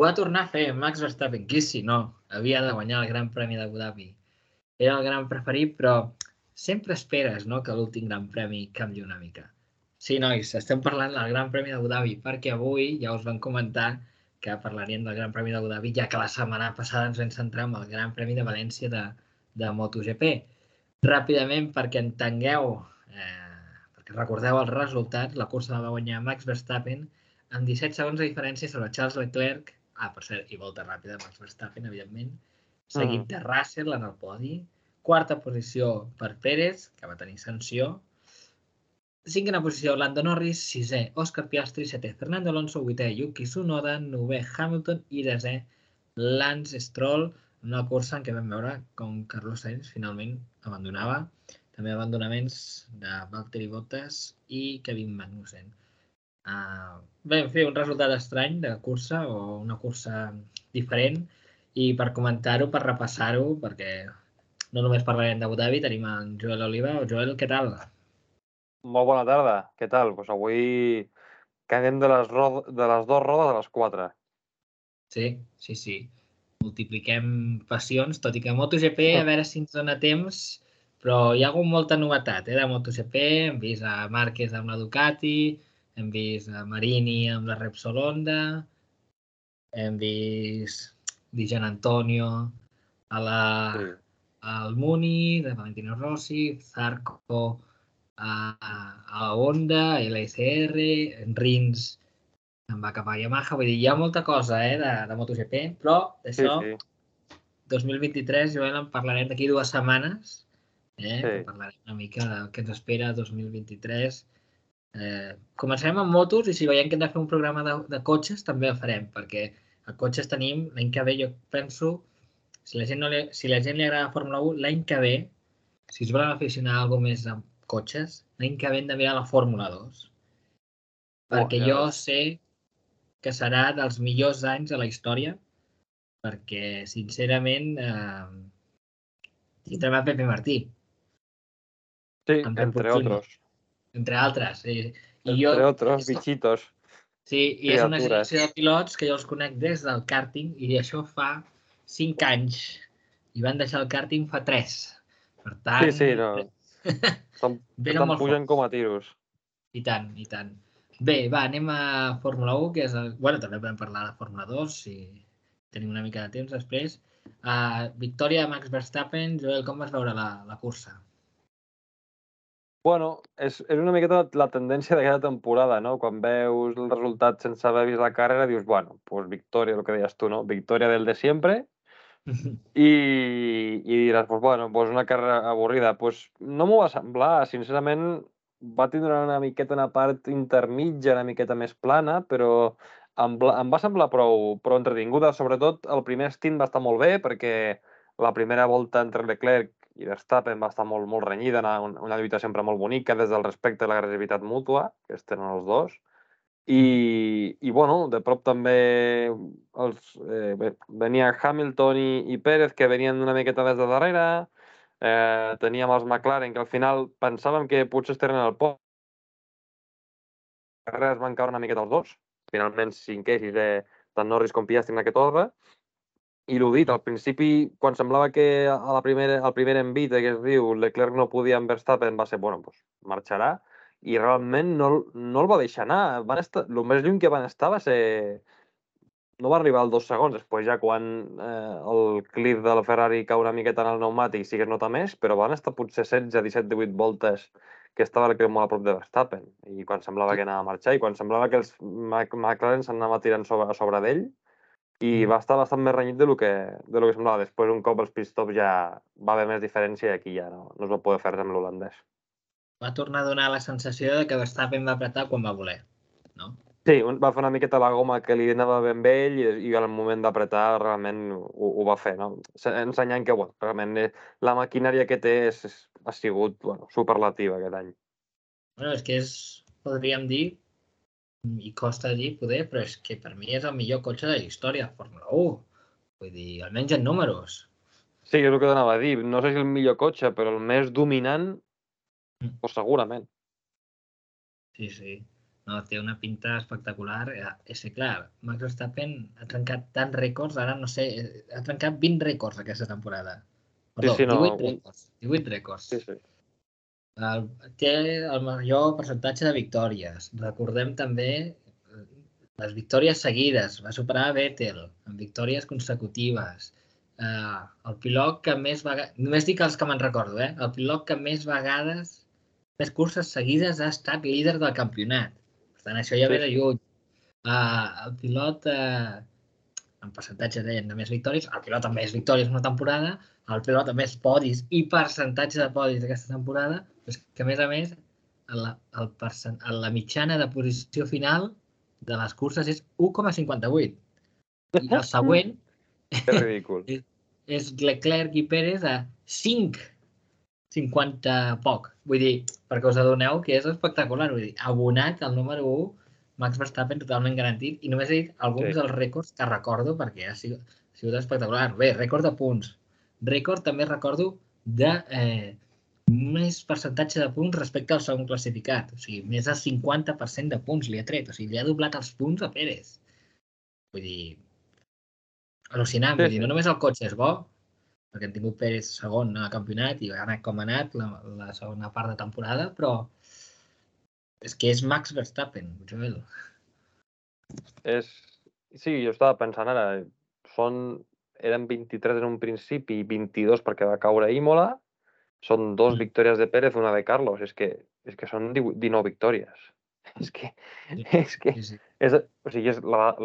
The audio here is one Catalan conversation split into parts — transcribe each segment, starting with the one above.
va tornar a fer Max Verstappen, qui si no, havia de guanyar el Gran Premi d'Abu Dhabi. Era el gran preferit, però sempre esperes, no?, que l'últim Gran Premi canvi una mica. Sí, nois, estem parlant del Gran Premi d'Abu Dhabi, perquè avui ja us van comentar que parlaríem del Gran Premi d'Abu Dhabi, ja que la setmana passada ens vam centrar en el Gran Premi de València de MotoGP. Ràpidament, perquè entengueu, perquè recordeu els resultats, la cursa la va guanyar Max Verstappen amb 17 segons de diferència sobre Charles Leclerc, per cert, i volta ràpida Max Verstappen, evidentment, seguit de Russell en el podi, quarta posició per Pérez, que va tenir sanció, cinquena posició Lando Norris, sisè Oscar Piastri, setè Fernando Alonso, vuitè Yuki Tsunoda, novè Hamilton i desè Lance Stroll, una cursa en què vam veure com Carlos Sainz finalment abandonava, també abandonaments de Valtteri Bottas i Kevin Magnussen. Vam fer un resultat estrany de cursa o una cursa diferent i per comentar-ho, per repassar-ho, perquè no només parlarem d'Abu Dhabi, tenim en Joel Oliva. Joel, què tal? Molt bona tarda, què tal? Doncs avui canviem de les dues rodes a les 4. Sí. Multipliquem passions, tot i que MotoGP, a veure si ens dona temps, però hi ha hagut molta novetat de MotoGP. Hem vist a Márquez amb la Ducati, hem vist a Marini amb la Repsol Honda, hem vist Gian Antonio al Muni, de Valentino Rossi, Zarco a Honda, LSR, Rins em va cap a Yamaha. Vull dir, hi ha molta cosa de MotoGP, però d'això, 2023, Joel, en parlarem d'aquí 2 setmanes, que parlarem una mica del que ens espera 2023. Començarem amb motos i si veiem que hem de fer un programa de cotxes també el farem, perquè a cotxes tenim l'any que ve, jo penso, si la gent li agrada Fórmula 1, l'any que ve, si es volen aficionar a alguna més amb cotxes, l'any que ve hem de mirar la Fórmula 2. Perquè jo sé que serà dels millors anys de la història, perquè, sincerament, tindrem a Pepe Martí. Sí, entre otros. Entre altres. Entre otros bichitos. Sí, i és una generació de pilots que jo els conec des del kàrting i això fa 5 anys. I van deixar el kàrting fa 3. Per tant... Sí, no. Tant pugen com a tiros. I tant. Bé, va, anem a Fórmula 1, que és... Bueno, també podem parlar de Fórmula 2, si tenim una mica de temps després. Victòria de Max Verstappen. Joel, com vas veure la cursa? Bueno, és una miqueta la tendència d'aquesta temporada, no? Quan veus el resultat sense haver vist la carrera, dius, bueno, pues victòria, el que deies tu, no? Victòria del de siempre. I diràs, pues bueno, pues una carrera avorrida. Pues no m'ho va semblar, sincerament, va tindre una miqueta una part intermitja, una miqueta més plana, però em va semblar prou entretinguda. Sobretot el primer stint va estar molt bé, perquè la primera volta entre Leclerc i Verstappen va estar molt renyida, una lluita sempre molt bonica, des del respecte i l'agressivitat mútua, que es tenen els dos. I bueno, de prop també venia Hamilton i Pérez, que venien una miqueta des de darrere. Teníem els McLaren, que al final pensàvem que potser estaven al podi. Les carreres van caure una miqueta els dos. Finalment, cinquè, sisè, tant Norris com Piastri en aquest ordre. I l'ho dit, al principi, quan semblava que al primer envit, que es diu, Leclerc no podia amb Verstappen, va ser, bueno, doncs marxarà. I realment no el va deixar anar. El més lluny que van estar va ser... No va arribar als 2 segons, després ja quan el clip del Ferrari cau una miqueta en el pneumàtic sí que es nota més, però van estar potser 16, 17, 18 voltes que estava Leclerc molt a prop de Verstappen. I quan semblava que anava a marxar i quan semblava que els McLaren s'anava tirant a sobre d'ell, i va estar bastant més renyit del que semblava. Després, un cop els pit-stops ja va haver més diferència i aquí ja no es va poder fer res amb l'holandès. Va tornar a donar la sensació de que Verstappen va apretar quan va voler, no? Sí, va fer una miqueta la goma que li anava ben bé i al moment d'apretar realment ho va fer, no? Ensenyant que, bueno, realment la maquinària que té ha sigut superlativa aquest any. Bueno, és que podríem dir, i costa dir poder, però és que per mi és el millor cotxe de la història de Fórmula 1. Vull dir, almenys en números. Sí, és el que anava a dir. No sé si el millor cotxe, però el més dominant, pues segurament. Sí. No, té una pinta espectacular. És que, clar, Max Verstappen ha trencat tants rècords, ara no sé, ha trencat 20 rècords aquesta temporada. Perdó, Sí, no, 18 rècords. 18 rècords. sí, sí. Té el major percentatge de victòries. Recordem també les victòries seguides. Va superar a Vettel amb victòries consecutives. El pilot que més vegades... Només dic els que me'n recordo, El pilot que més vegades, més curses seguides ha estat líder del campionat. Per tant, això ja ve de lluny. El pilot, en percentatge de més victòries, el pilot amb més victòries una temporada, el pilot amb més podis i percentatge de podis d'aquesta temporada, és que a més, la mitjana de posició final de les curses és 1,58. I el següent Que ridícul. és Leclerc i Pérez a 5,50 poc. Vull dir, perquè us adoneu que és espectacular. Vull dir, abonat el número 1, Max Verstappen totalment garantit, i només he dit alguns dels rècords que recordo perquè ha sigut espectacular. Bé, rècord de punts. Rècord també recordo de més percentatge de punts respecte al segon classificat. O sigui, més del 50% de punts li ha tret. O sigui, li ha doblat els punts a Pérez. Vull dir, al·lucinant. Vull dir, no només el cotxe és bo, perquè hem tingut Pérez segon al campionat i ha anat com ha anat la segona part de temporada, però és que és Max Verstappen, Joel. Sí, jo estava pensant ara, eren 23 en un principi i 22 perquè va caure Imola, són 2 victòries de Pérez, una de Carlos, és que són 19 victòries. És que o sigui, és la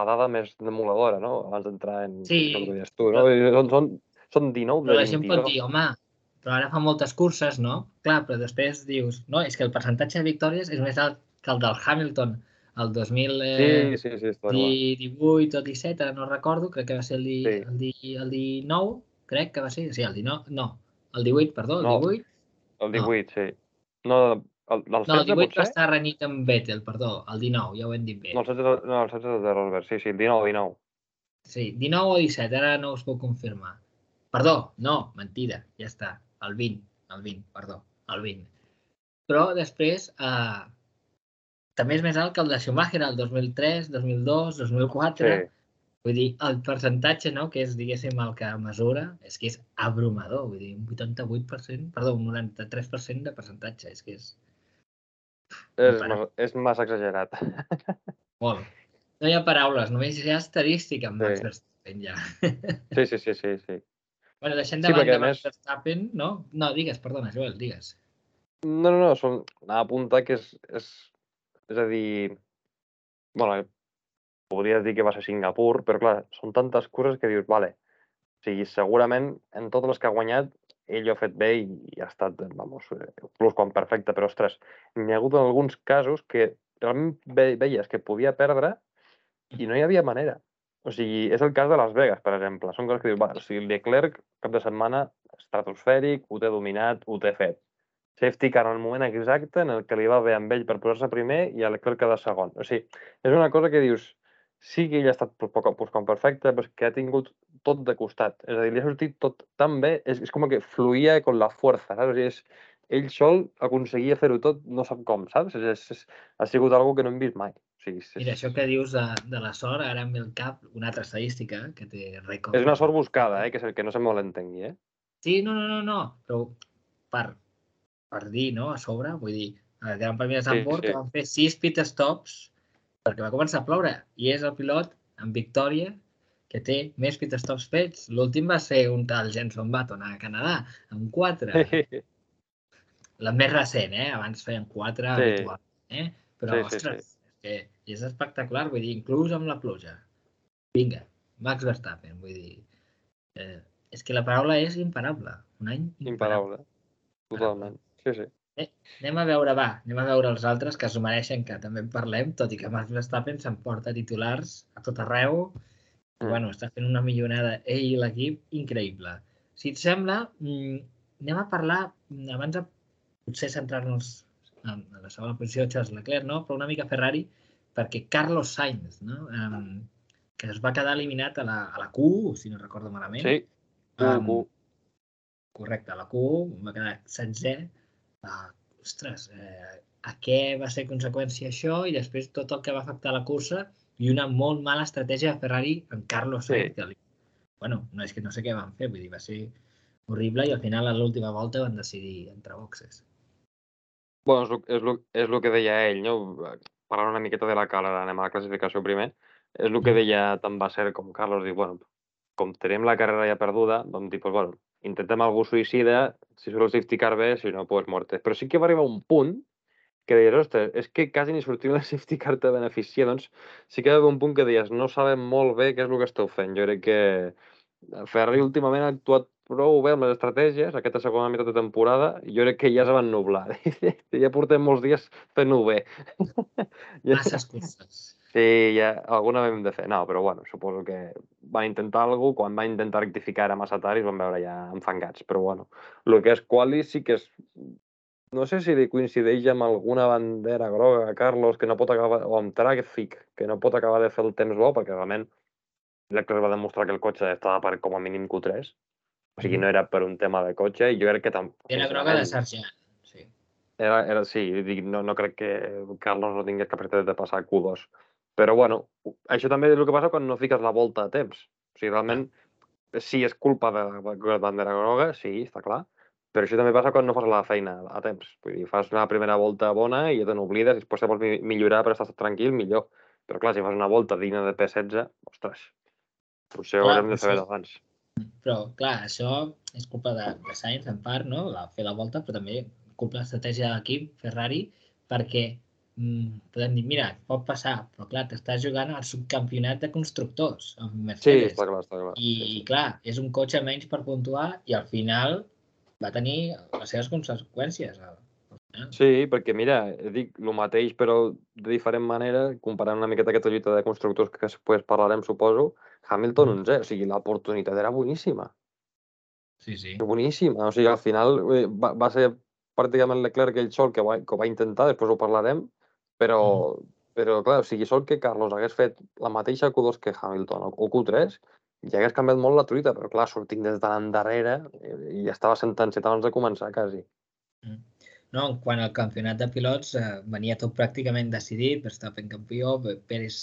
dada més demoledora, no? Abans d'entrar en el que deies tu, no? Són 19 però de la gent pot 22. dir, home, però ara fa moltes curses, no? Clar, però després dius, no, és que el percentatge de victòries és més alt que el del Hamilton el 2018 està clar. o 17, ara no recordo, crec que va ser el 19, crec que va ser, sí, el 19, no, el 18, perdó, el 18. El 18, sí. No, el 16 18 potser? va estar renyit amb Vettel, perdó, el 19, ja ho hem dit bé. No, el 16 és de Rosberg, sí, el 19. Sí, 19 o 17, ara no us puc confirmar. Perdó, no, mentida, ja està, el 20, perdó, el 20. Però després també és més alt que el de Schumacher el 2003, 2002, 2004. Sí. Vull dir, el percentatge, no?, que és, diguéssim, el que mesura, és que és abrumador. Vull dir, un 88%, perdó, un 93% de percentatge. És que és... És massa exagerat. Molt. No hi ha paraules, només hi ha estadística amb Max Verstappen, ja. Sí. Bueno, deixem de banda Max Verstappen, no? No, digues, perdona, Joel, digues. No, anava a apuntar que és a dir, bueno, podries dir que va ser Singapur, però clar, són tantes coses que dius, vale, o sigui, segurament en totes les que ha guanyat ell ho ha fet bé i ha estat, vamos, plus quan perfecte, però ostres, n'hi ha hagut alguns casos que realment veies que podia perdre i no hi havia manera. O sigui, és el cas de Las Vegas, per exemple. Són coses que dius, o sigui, Leclerc, cap de setmana, estratosfèric, ho té dominat, ho té fet. Safety car en el moment exacte en el que li va bé amb ell per posar-se primer i a Leclerc quedar segon. O sigui, és una cosa que dius, sí que ell ha estat com perfecte, però és que ha tingut tot de costat. És a dir, li ha sortit tot tan bé, és com que fluïa con la força, saps? O sigui, ell sol aconseguia fer-ho tot, no sap com, saps? Ha sigut algo que no hem vist mai. Mira, això que dius de la sort, ara em ve al cap una altra estadística que té rècord. És una sort buscada, que no se malentengui, Sí, no, però per dir, no, a sobre, vull dir, el Gran Premi de Zandvoort, que van fer 6 pit stops perquè va començar a ploure, i és el pilot amb victòria que té més pit stops fets. L'últim va ser un tal Jenson Button a Canadà, amb 4. La més recent, abans feien 4 habitualment, però, ostres, és espectacular, vull dir, inclús amb la pluja. Vinga, Max Verstappen, vull dir, és que la paraula és imparable, un any imparable. Totalment, sí. Anem a veure els altres que s'ho mereixen, que també en parlem, tot i que Max Verstappen s'emporta titulars a tot arreu, i bueno, està fent una millonada ell i l'equip increïble. Si et sembla, anem a parlar, abans de potser centrar-nos en la segona posició de Charles Leclerc, no? Però una mica Ferrari, perquè Carlos Sainz, no? Que es va quedar eliminat a la Q1, si no recordo malament. Sí, Q1. Correcte, a la Q1 va quedar 16è. Ostres, a què va ser conseqüència això i després tot el que va afectar la cursa i una molt mala estratègia de Ferrari amb Carlos Sainz, que bueno, no és que no sé què van fer, vull dir, va ser horrible i al final a l'última volta van decidir entrar boxes. Bueno, és el que deia ell, no? Parlant una miqueta de la cala, anem a la classificació primer. És el que deia tant Basser com Carlos, diu, bueno, com tenim la carrera ja perduda, vam dir, pues, bueno, intentem algú suïcida, si surt el safety car bé, si no, pues morte. Però sí que va arribar un punt que deies, ostres, és que quasi ni sortint la safety car te beneficia, doncs sí que va haver un punt que deies, no sabem molt bé què és el que esteu fent. Jo crec que Ferrari últimament ha actuat prou bé amb les estratègies, aquesta segona meitat de temporada, i jo crec que ja se van nublar. Ja portem molts dies fent-ho bé. Masses curses. Sí, ja alguna vam de fer. No, però bueno, suposo que van intentar alguna cosa, quan van intentar rectificar era massa tard i es van veure ja enfangats. Però bueno, el que és quali sí que és... No sé si li coincideix amb alguna bandera groga a Carlos que no pot acabar, o amb Tràfic, que no pot acabar de fer el temps bo, perquè realment Leclerc va demostrar que el cotxe estava per com a mínim Q3. O sigui, no era per un tema de cotxe, i jo crec que tampoc... Era groga de Sargent, sí. Sí, dic, no crec que Carlos no tingués capacitat de passar Q2. Però bueno, això també és el que passa quan no fiques la volta a temps. O sigui, realment, sí, és culpa de la bandera groga, sí, està clar, però això també passa quan no fas la feina a temps. Vull dir, fas una primera volta bona i ja te n'oblides, i després si vols millorar per estar tranquil, millor. Però clar, si fas una volta digna de P16, ostres, potser ho haurem de fer abans. Però, clar, això és culpa de Sainz, en part, no? Fer la volta, però també culpa de l'estratègia de l'equip, Ferrari, perquè podem dir, mira, pot passar, però clar, t'estàs jugant al subcampionat de constructors amb Mercedes. Sí, està clar, està clar. I clar, és un cotxe menys per puntuar i al final va tenir les seves conseqüències. Sí, perquè mira, dic el mateix però de diferent manera, comparant una miqueta aquesta lluita de constructors que després parlarem, suposo, Hamilton 11, o sigui, l'oportunitat era boníssima. Sí, sí. Boníssima, o sigui, al final va ser pràcticament Leclerc ell sol que ho va intentar, després ho parlarem, però clar, o sigui, sol que Carlos hagués fet la mateixa Q2 que Hamilton o Q3, ja hagués canviat molt la truita, però clar, sortint des de l'endarrere i estava sentenciat abans de començar, quasi. No, quan el campionat de pilots venia tot pràcticament decidit, Verstappen campió, Pérez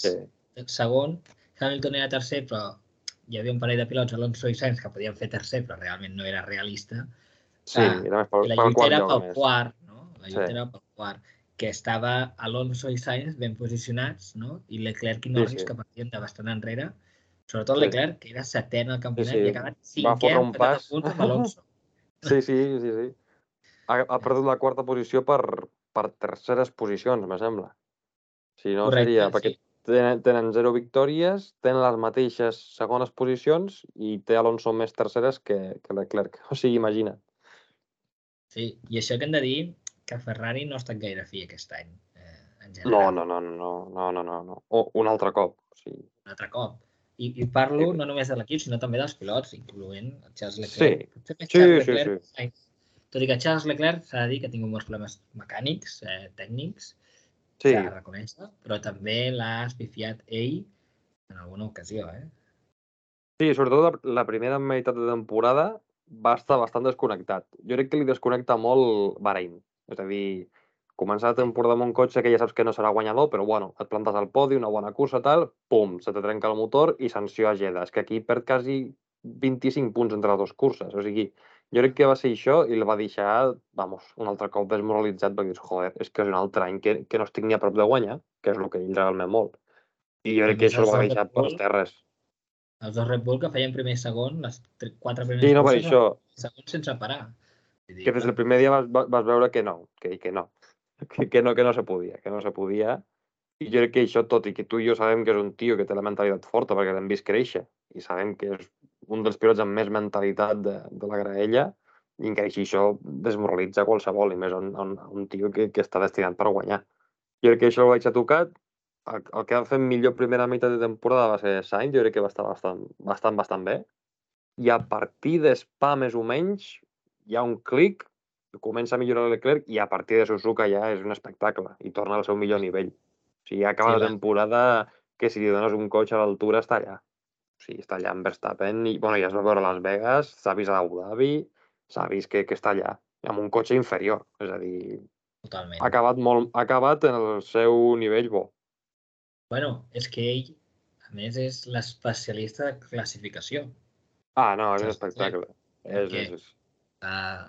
segon, Hamilton era tercer, però hi havia un parell de pilots, Alonso i Sainz, que podien fer tercer, però realment no era realista. Sí, era més I la lluita era pel més. quart, no? La lluita era pel quart, que estava Alonso i Sainz ben posicionats, no? I Leclerc i Norris, que partien de bastant enrere. Sobretot Leclerc, que era setè en el campionat i ha acabat cinquè empatat a punts amb Alonso. Sí. Ha perdut la quarta posició per terceres posicions, me sembla. Si no, seria... Perquè tenen 0 victòries, tenen les mateixes segones posicions i té Alonso més terceres que Leclerc. O sigui, imagina't. Sí, i això que hem de dir que Ferrari no ha estat gaire fi aquest any, en general. No. Un altre cop. Sí. Un altre cop. I parlo no només de l'equip, sinó també dels pilots, incloent Charles Leclerc. Sí. Tot i que Charles Leclerc s'ha de dir que ha tingut molts problemes mecànics, tècnics, s'ha de reconèixer, però també l'ha espifiat ell en alguna ocasió, Sí, sobretot la primera meitat de temporada va estar bastant desconnectat. Jo crec que li desconnecta molt Bahrein. És a dir, començar la temporada amb un cotxe que ja saps que no serà guanyador, però bueno, et plantes al podi, una bona cursa, tal, pum, se te trenca el motor i sanció a Jeddah. És que aquí perd quasi 25 punts entre les dues curses. O sigui, jo crec que va ser això i el va deixar, vamos, un altre cop desmoralitzat perquè dius, joder, és que és un altre any que no estic ni a prop de guanyar, que és el que ell realment vol. I jo crec que això el va deixar per les terres. Els dos Red Bull que feien primer i segon, les 4 primeres curses, això. segon sense parar. Que des del primer dia vas veure que no, que no se podia, I jo crec que això, tot i que tu i jo sabem que és un tio que té la mentalitat forta perquè l'hem vist créixer i sabem que és un dels pilots amb més mentalitat de la graella, i encara així això desmoralitza qualsevol, i més un tio que està destinat per guanyar. Jo crec que això ho vaig a tocar. El que va fer millor primera meitat de temporada va ser Sainz, jo crec que va estar bastant bé. I a partir de Spa, més o menys, hi ha un clic, comença a millorar Leclerc i a partir de Suzuka ja és un espectacle i torna al seu millor nivell. O sigui, acaba la temporada que si li dones un cotxe a l'altura està allà. O sigui, està allà amb Verstappen i, bueno, ja es va veure a Las Vegas, s'ha vist a Abu Dhabi, s'ha vist que està allà, amb un cotxe inferior. És a dir, Totalment. Ha acabat en el seu nivell bo. Bueno, és que ell, a més, és l'especialista de classificació. Ah, no, és un Charles Leclerc, espectacle. perquè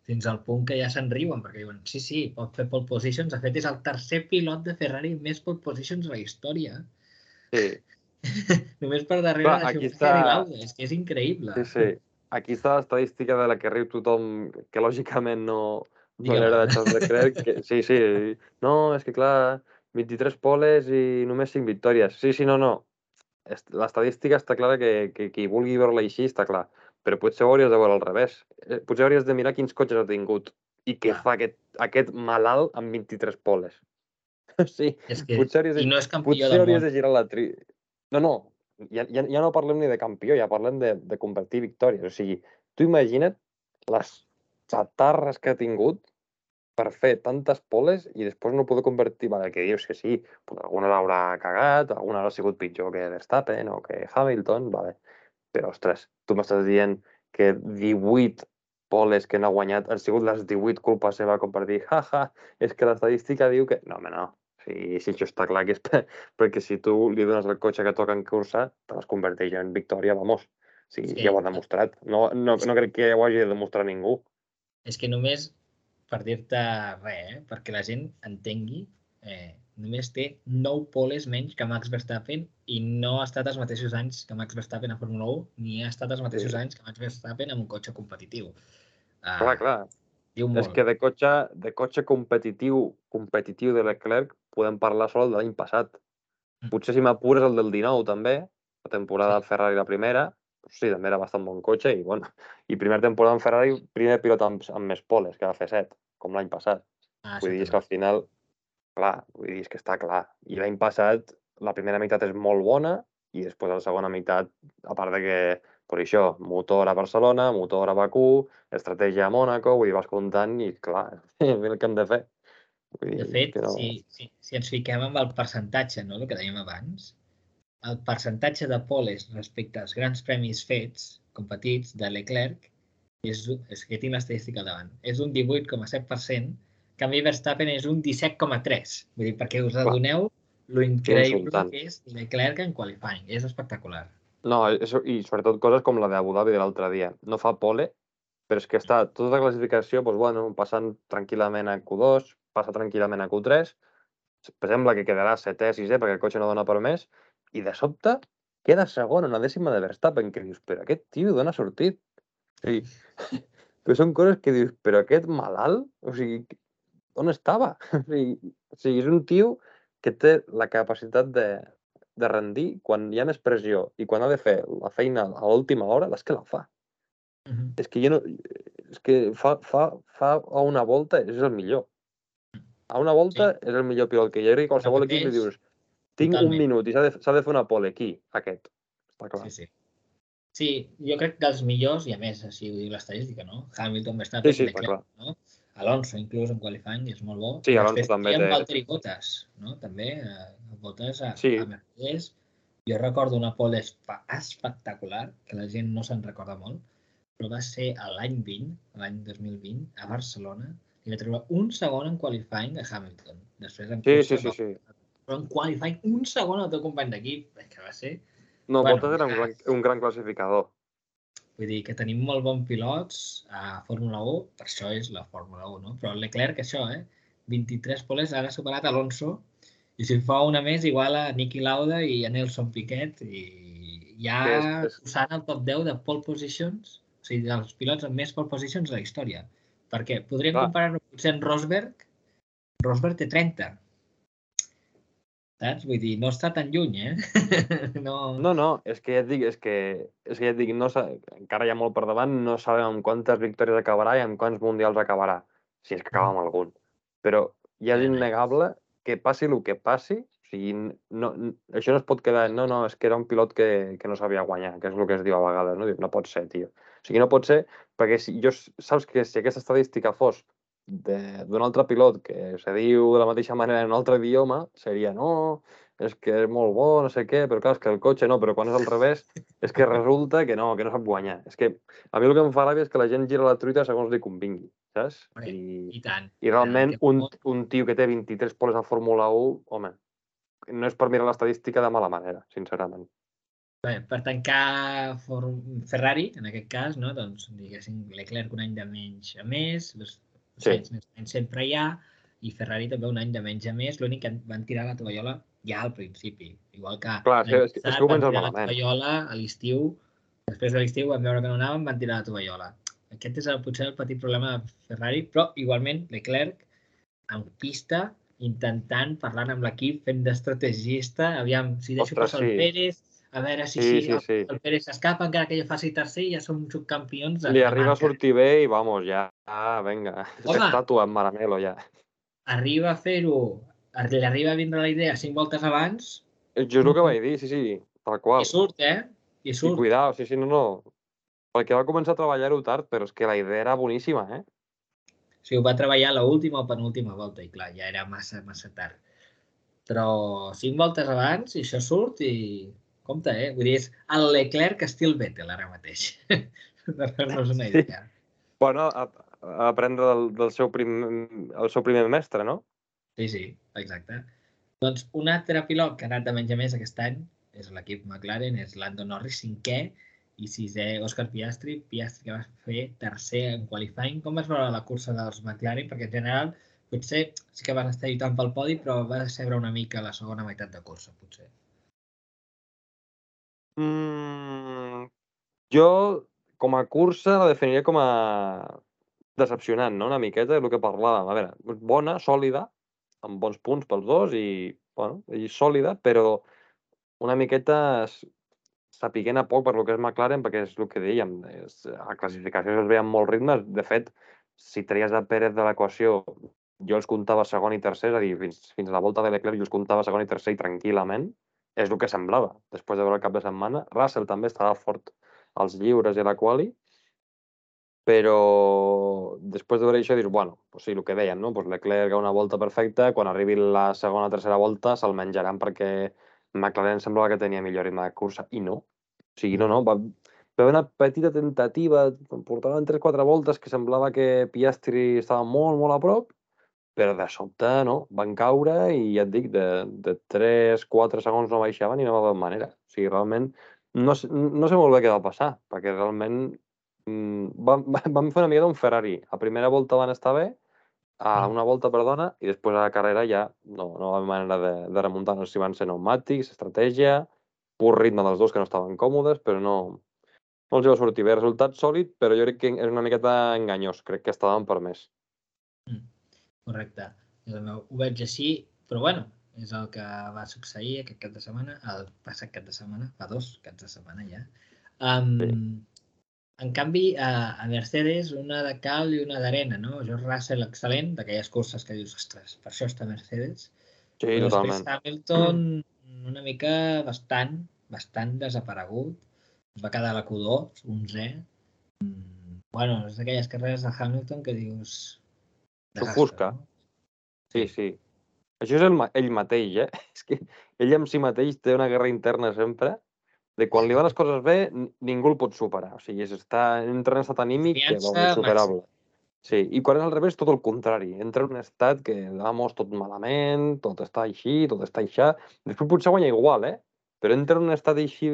fins al punt que ja se'n riuen, perquè diuen, sí, pot fer pole positions. De fet, és el tercer pilot de Ferrari amb més pole positions a la història. Sí. Només per darrere Clar, de aquí Schumacher està... i Lauda. És que és increïble. Sí. Aquí està l'estadística de la que riu tothom, que lògicament no li Digue-la. agrada a Charles Leclerc. Que, sí. No, és que clar, 23 poles i només 5 victòries. Sí, no. L'estadística està clara que qui vulgui veure-la així està clar. Però potser ho hauries de veure al revés. Potser hauries de mirar quins cotxes ha tingut i què fa aquest malalt amb 23 poles. Sí, És que... potser I no és campió del hauries món. de girar la No, ja no parlem ni de campió, ja parlem de competir victòries. O sigui, tu imagina't les xatarres que ha tingut per fer tantes poles i després no poder convertir... Vale, que dius que sí, pues alguna l'haurà cagat, alguna haurà sigut pitjor que Verstappen o que Hamilton, vale. Però, ostres, tu m'estàs dient que 18 poles que no ha guanyat han sigut les 18 culpa seva com per dir, és que l'estadística diu que... No, home, no. Si això està clar que és perquè si tu li dones el cotxe que toca en cursa, te les converteix en victòria, vamos. Sí, És que, ja ho ha demostrat. No crec que ho hagi de demostrar ningú. és que només, per dir-te res, perquè la gent entengui, només té 9 poles menys que Max Verstappen i no ha estat els mateixos anys que Max Verstappen a Fórmula 1 ni ha estat els mateixos anys que Max Verstappen amb un cotxe competitiu. Clar. Diu És molt. que de cotxe competitiu de Leclerc podem parlar sol de l'any passat. Potser si m'apures el del 19 també, la temporada Sí. del Ferrari la primera, doncs sí, també era bastant bon cotxe i bueno, i primera temporada en Ferrari, primer pilot amb més poles, que va fer 7, com l'any passat. Vull Això dir, és que també. al final, clar, vull dir, és que està clar. I l'any passat la primera meitat és molt bona i després la segona meitat, a part de que, per això, motor a Barcelona, motor a Bakú, estratègia a Mònaco, vull dir, vas comptant i clar, el que hem de fer. Vull De dir, és fet, que no... si ens fiquem amb el percentatge, no, el que dèiem abans, el percentatge de poles respecte als grans premis fets, competits, de Leclerc, és que tinc l'estadística al davant, és un 18,7%, en canvi Verstappen és un 17,3%. Vull dir, perquè us Clar, adoneu lo és increïble insultant. que és Leclerc en qualifying. És espectacular. No, i sobretot coses com la d'Abu Dhabi de l'altre dia. No fa pole, però és que està tota la classificació, doncs, bueno, passant tranquil·lament a Q2, passa tranquil·lament a Q3, sembla que quedarà setè, sisè, perquè el cotxe no dona per més, i de sobte queda segon, una dècima de Verstappen, que dius, però aquest tio d'on ha sortit? O sigui, però són coses que dius, però aquest malalt, o sigui, on estava? O sigui, és un tio que té la capacitat de rendir quan hi ha més pressió i quan ha de fer la feina a l'última hora, és que la fa. És que jo no... És que fa a una volta és el millor. A una volta Sí, és el millor pilot que hi ha. I qualsevol equip li repeteix dius, tinc un totalment. minut i s'ha de fer una pole aquí, aquest. Està clar. Sí. Sí, jo crec que dels millors, i a més, així ho diu l'estadística, no? Hamilton, Sí, Verstappen, està Leclerc, clar. no? Alonso, inclús en qualifying, és molt bo. Sí, I Alonso després també teníem té... Valtteri Bottas, no? També, Bottas Sí, a Mercedes. Jo recordo una pole espectacular, que la gent no se'n recorda molt, però va ser l'any 20, l'any 2020, a Barcelona, i va treure un segon en qualifying a Hamilton. Després en cursa, no. sí. Però en qualifying, un segon al teu company d'equip, que va ser... No, Bueno, Bottas era un gran classificador. vull dir que tenim molt bons pilots a Fórmula 1, per això és la Fórmula 1, no? Però el Leclerc, això, 23 poles, ara ha superat Alonso, i si fa una més, igual a Niki Lauda i a Nelson Piquet, i ja Que posant el top 10 de pole positions, o sigui, dels pilots amb més pole positions de la història. Perquè podríem clar, comparar-ho potser amb Rosberg. Rosberg té 30, saps? Vull dir, no està tan lluny, No... no, és que ja et dic, no, encara hi ha molt per davant, no sabem amb quantes victòries acabarà i amb quants mundials acabarà, si és que acaba amb algun. Però ja és innegable que passi el que passi, o sigui, això no es pot quedar, no, és que era un pilot que no sabia guanyar, que és el que es diu a vegades, no? No pot ser, tio. O sigui, no pot ser, perquè saps que si aquesta estadística fos d'un altre pilot que se diu de la mateixa manera en un altre idioma, seria, no, és que és molt bo, no sé què, però clar, és que el cotxe no, però quan és al revés, és que resulta que no sap guanyar. És que a mi el que em fa ràbia és que la gent gira la truita segons li convingui, saps? Hombre, i tant, I i tant. realment un tio que té 23 poles a Fórmula 1, home, no és per mirar l'estadística de mala manera, sincerament. Bé, per tancar Ferrari, en aquest cas, no? Doncs, diguéssim, Leclerc un any de menys a més, Sí. Sainz més o menys sempre hi ha, i Ferrari també un any de menys a més, l'únic que van tirar la tovallola ja al principi. Igual que Clar, l'any és que passat van comences tirar la malament. tovallola a l'estiu, després de l'estiu van veure que no anaven, van tirar la tovallola. Aquest és potser el petit problema de Ferrari, però igualment Leclerc en pista, intentant, parlant amb l'equip, fent d'estrategista, aviam, si deixo Ostres, passar el sí. Pérez, a veure si Sí. el Pérez s'escapa, encara que jo faci tercer, ja som subcampions Li de arriba a marca. sortir bé i vamos, ja, vinga, Home, estàtua en Maranello, ja. arriba a fer-ho, li arriba a vindre la idea 5 voltes abans, Jo és el que vaig dir, sí, tal i qual. surt, I I surt. cuidao, sí, no. Perquè va començar a treballar-ho tard, però és que la idea era boníssima, eh? O sigui, ho va treballar l'última o penúltima volta, i clar, ja era massa tard. Però 5 voltes abans, i això surt, i compte, Vull dir, és el Leclerc estil Vettel ara mateix. Per fer-nos una Sí. idea. Bueno, a aprendre el seu primer mestre, no? Sí, exacte. Doncs un altre pilot que ha anat de menys a més aquest any és l'equip McLaren, és Lando Norris, cinquè, i sisè Òscar Piastri, que va fer tercer en qualifying. Com vas veure la cursa dels McLaren? Perquè en general potser sí que van estar lluitant pel podi, però va decebre una mica la segona meitat de cursa, potser. Jo, com a cursa, la definiria com a decepcionant, no? Una miqueta, el que parlàvem. A veure, bona, sòlida, amb bons punts pels dos bueno, i sòlida, però una miqueta sapiguent a poc per lo que és McLaren, perquè és el que dèiem, a classificació es veien molts ritmes. De fet, si treies a Pérez de l'equació, jo els comptava segon i tercer, és a dir, fins a la volta de Leclerc jo els comptava segon i tercer i tranquil·lament, és el que semblava, després de veure el cap de setmana. Russell també estava fort als lliures i a la quali, però després de veure això dius, bueno, pues sí, el que deien, no? Pues Leclerc a una volta perfecta, quan arribi la segona o tercera volta se'l menjaran perquè McLaren semblava que tenia millor ritme de cursa, i no. O sigui, no, va haver una petita tentativa, portaven 3-4 voltes que semblava que Piastri estava molt a prop, però de sobte, no, van caure i ja et dic, de 3-4 segons no baixaven i no va haver manera. O sigui, realment, no sé molt bé què va passar, perquè realment vam fer una mica d'un Ferrari. A primera volta van estar bé, a una volta, perdona, i després a la carrera ja no va haver manera de remuntar. No sé si van ser pneumàtics, estratègia, pur ritme dels dos que no estaven còmodes, però no els hi va sortir bé. Resultat sòlid, però jo crec que és una miqueta enganyós. Crec que estaven per més. Correcte. Jo també ho veig així, però bueno, és el que va succeir aquest cap de setmana, el passat cap de setmana, fa 2 caps de setmana ja. Sí. En canvi, a Mercedes, una de cal i una d'arena, no? George Russell, excel·lent, d'aquelles curses que dius, ostres, per això està Mercedes. Sí, Però després totalment. Hamilton, una mica bastant desaparegut. Es va quedar a la Q2, 11è. Bueno, és d'aquelles carreres de Hamilton que dius, desastre, S'ofusca. no? Sí. Això és ell mateix, eh? És que ell amb si mateix té una guerra interna sempre, de quan li van les coses bé, ningú el pot superar. O sigui, entra en estat anímic que, Confiança insuperable. màxima. Sí, i quan és al revés, tot el contrari. Entra en un estat que, vamos, tot malament, tot està així, tot està aixà. Després potser guanya igual, però entra en un estat així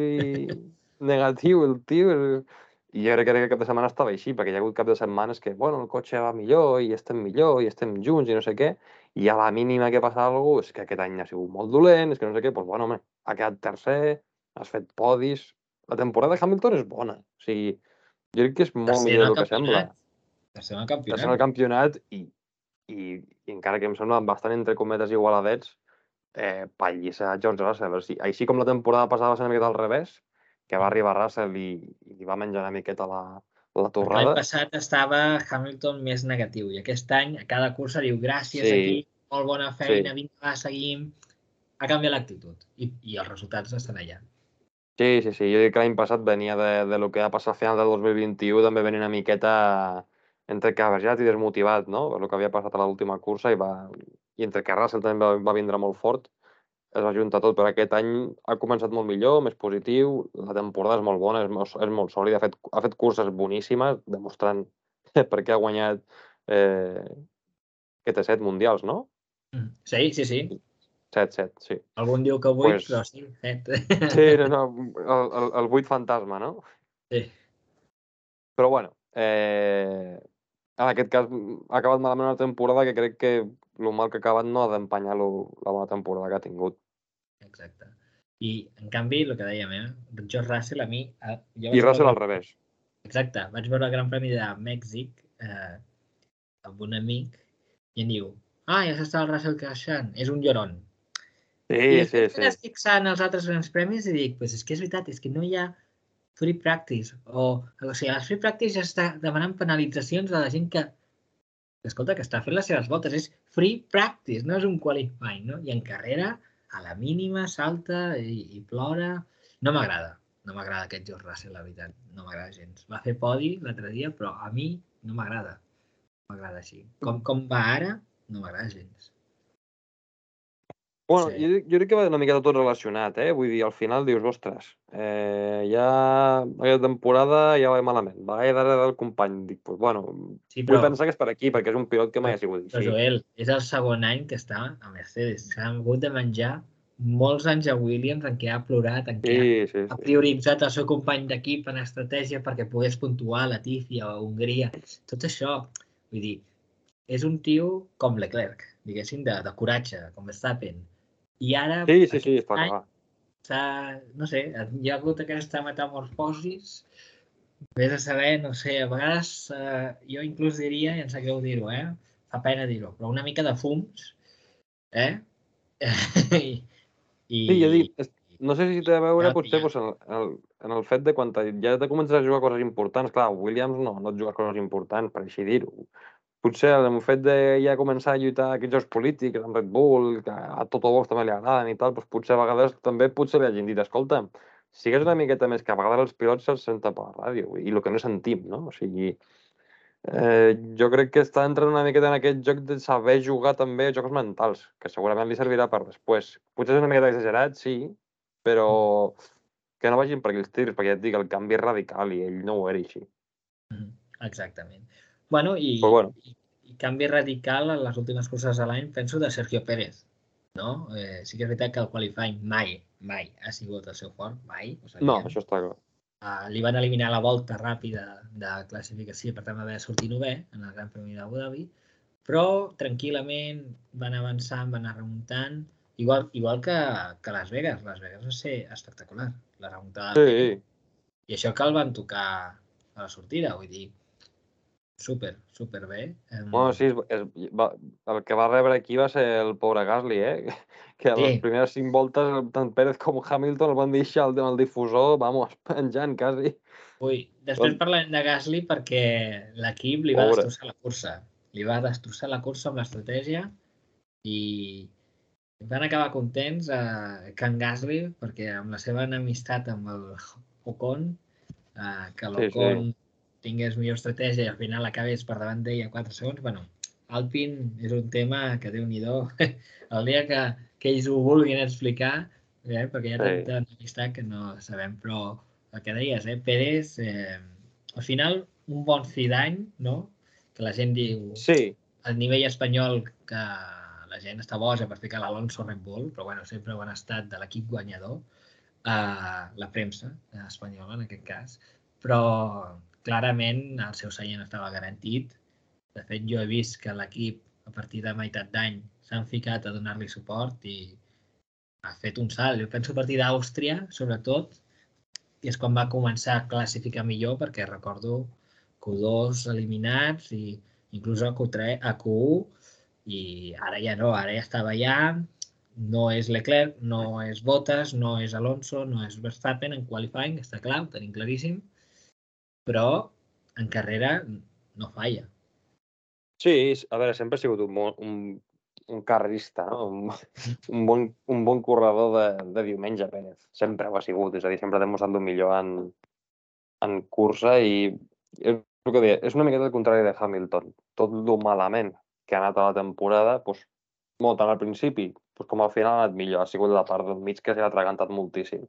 negatiu, el tio. I jo crec que aquest cap de setmana estava així, perquè hi ha hagut cap de setmanes que, bueno, el cotxe va millor, i estem junts, i no sé què, i a la mínima que passa alguna cosa, és que aquest any ha sigut molt dolent, és que no sé què, doncs, bueno, home, ha quedat tercer, has fet podis. La temporada de Hamilton és bona. O sigui, jo crec que és molt Tercer en millor el del que sembla. campionat. Tercer en el Tercer en el campionat. campionat i encara que em sembla bastant entre cometes igualadets, pallissa George Russell. O sigui, així com la temporada passada va ser una miqueta al revés, que va arribar Russell i li va menjar una miqueta la Perquè l'any torrada. passat estava Hamilton més negatiu i aquest any a cada cursa diu gràcies aquí, Sí, molt bona sí. feina, vinga, seguim. Ha canviat l'actitud i els resultats estan allà. Sí. Jo dic que l'any passat venia de lo que va passar a final del 2021, també venia una miqueta entre cabejat i desmotivat, no? Per lo que havia passat a l'última cursa i entre que Russell també va vindre molt fort. es va juntar tot, però aquest any ha començat molt millor, més positiu, la temporada és molt bona, és molt sòlida, ha fet curses boníssimes, demostrant per què ha guanyat que té 7 mundials, no? Sí. 7, sí. Algun diu que 8, Pues, però sí, 7. sí, no, el 8 fantasma, no? Sí. Però bueno, en aquest cas ha acabat malament una temporada que crec que el mal que ha acabat no ha d'empanyar la bona temporada que ha tingut. Exacte. I, en canvi, el que dèiem, George Russell, a mi... Jo I vaig veure Russell al revés. Exacte, vaig veure el Gran Premi de Mèxic amb un amic i em diu, ja s'està el Russell creixant, és un llorón. I Sí, després sí. m'he fixant els altres grans premis i dic, és que és veritat, és que no hi ha free practice. O sigui, a les free practice ja està demanant penalitzacions a la gent que escolta, que està fent les seves voltes. És free practice, no és un qualifying, no? I en carrera, a la mínima, salta i plora. No m'agrada. No m'agrada aquest George Russell, la veritat. No m'agrada gens. Va fer podi l'altre dia, però a mi no m'agrada. No m'agrada així. Com va ara, no m'agrada gens. Bueno, Sí. jo crec que va una miqueta tot relacionat, Vull dir, al final dius, ostres, ja aquesta temporada ja va malament, va darrere del company. Dic, pues, bueno, Sí, vull però, pensar que és per aquí, perquè és un pilot que mai ha sigut però així. Joel, és el segon any que està a Mercedes. S'ha hagut de menjar molts anys a Williams en què ha plorat, en què Sí. ha prioritzat el seu company d'equip en estratègia perquè pogués puntuar a Latifi o a Hongria. Tot això, vull dir, és un tio com Leclerc, diguéssim, de coratge, com Verstappen. I ara, Sí, aquest està any, no sé, hi ha hagut aquesta metamorfosis. Vés a saber, no sé, a vegades jo inclús diria, i em sap greu dir-ho, fa pena dir-ho, però una mica de fums, I, Sí, jo dic, no sé si té a veure ja, potser doncs, en el fet de quan ja te comences a jugar coses importants. Clar, Williams no et jugues coses importants, per així dir-ho. Potser el fet de ja començar a lluitar aquests jocs polítics amb Red Bull, que a Toto Wolff també li agraden i tal, doncs potser a vegades també potser li hagin dit, escolta, sigues una miqueta més, que a vegades els pilots se'ls senten per la ràdio, i el que no sentim, no? O sigui, jo crec que està entrant una miqueta en aquest joc de saber jugar també a jocs mentals, que segurament li servirà per després. Potser és una miqueta exagerat, sí, però que no vagin per aquells tirs, perquè ja et dic, el canvi és radical i ell no ho era així. exactament. Bueno, Però bueno, i canvi radical en les últimes curses de l'any, penso, de Sergio Pérez. No? Sí que és veritat que el qualifying mai ha sigut el seu fort, mai, ho no, sabíem. això està clar. Li van eliminar la volta ràpida de classificació, per tant va haver de sortir 9è en el Gran Premi d'Abu Dhabi, però tranquil·lament van avançant, van anar remuntant, igual que Las Vegas. Las Vegas va ser espectacular, la remuntada de Pérez. Sí, I això que el van tocar a la sortida, vull dir, super bé. bueno, sí, el que va rebre aquí va ser el pobre Gasly, que a les Sí, primeres 5 voltes tant Pérez com Hamilton el van deixar el difusor, vamos, penjant quasi. després parlarem de Gasly perquè l'equip li va Pobre. destrossar la cursa. Li va destrossar la cursa amb l'estratègia i van acabar contents que en Gasly, perquè amb la seva enemistat amb el Ocon, que Sí. l'Ocon tingués millor estratègia i al final acabés per davant d'ell a 4 segons. Bueno, Alpine és un tema que Déu-n'hi-do. El dia que ells ho vulguin explicar, perquè hi ha tanta enemistat que no sabem, però el que deies, Pérez, al final, un bon fi d'any, no? Que la gent diu, Sí, el nivell espanyol que la gent està boja per ficar l'Alonso Red Bull, però bueno, sempre ho han estat de l'equip guanyador, la premsa espanyola en aquest cas, però clarament el seu seient estava garantit. De fet, jo he vist que l'equip a partir de meitat d'any s'han ficat a donar-li suport i ha fet un salt. Jo penso a partir d'Àustria, sobretot, i és quan va començar a classificar millor, perquè recordo Q2 eliminats i inclús a Q3, a Q1, i ara ja no, ara ja estava allà, no és Leclerc, no és Bottas, no és Alonso, no és Verstappen en qualifying, està clar, ho tenim claríssim, però en carrera no falla. sí, a veure, sempre ha sigut un carrerista, no? Un bon corredor de diumenge, Pérez. Sempre ho ha sigut, és a dir, sempre ha demostrat el millor en cursa i és el que deia, és una miqueta el contrari de Hamilton. Tot el malament que ha anat a la temporada, doncs, tant al principi com al final ha anat millor, ha sigut la part del mig que s'ha atragantat moltíssim.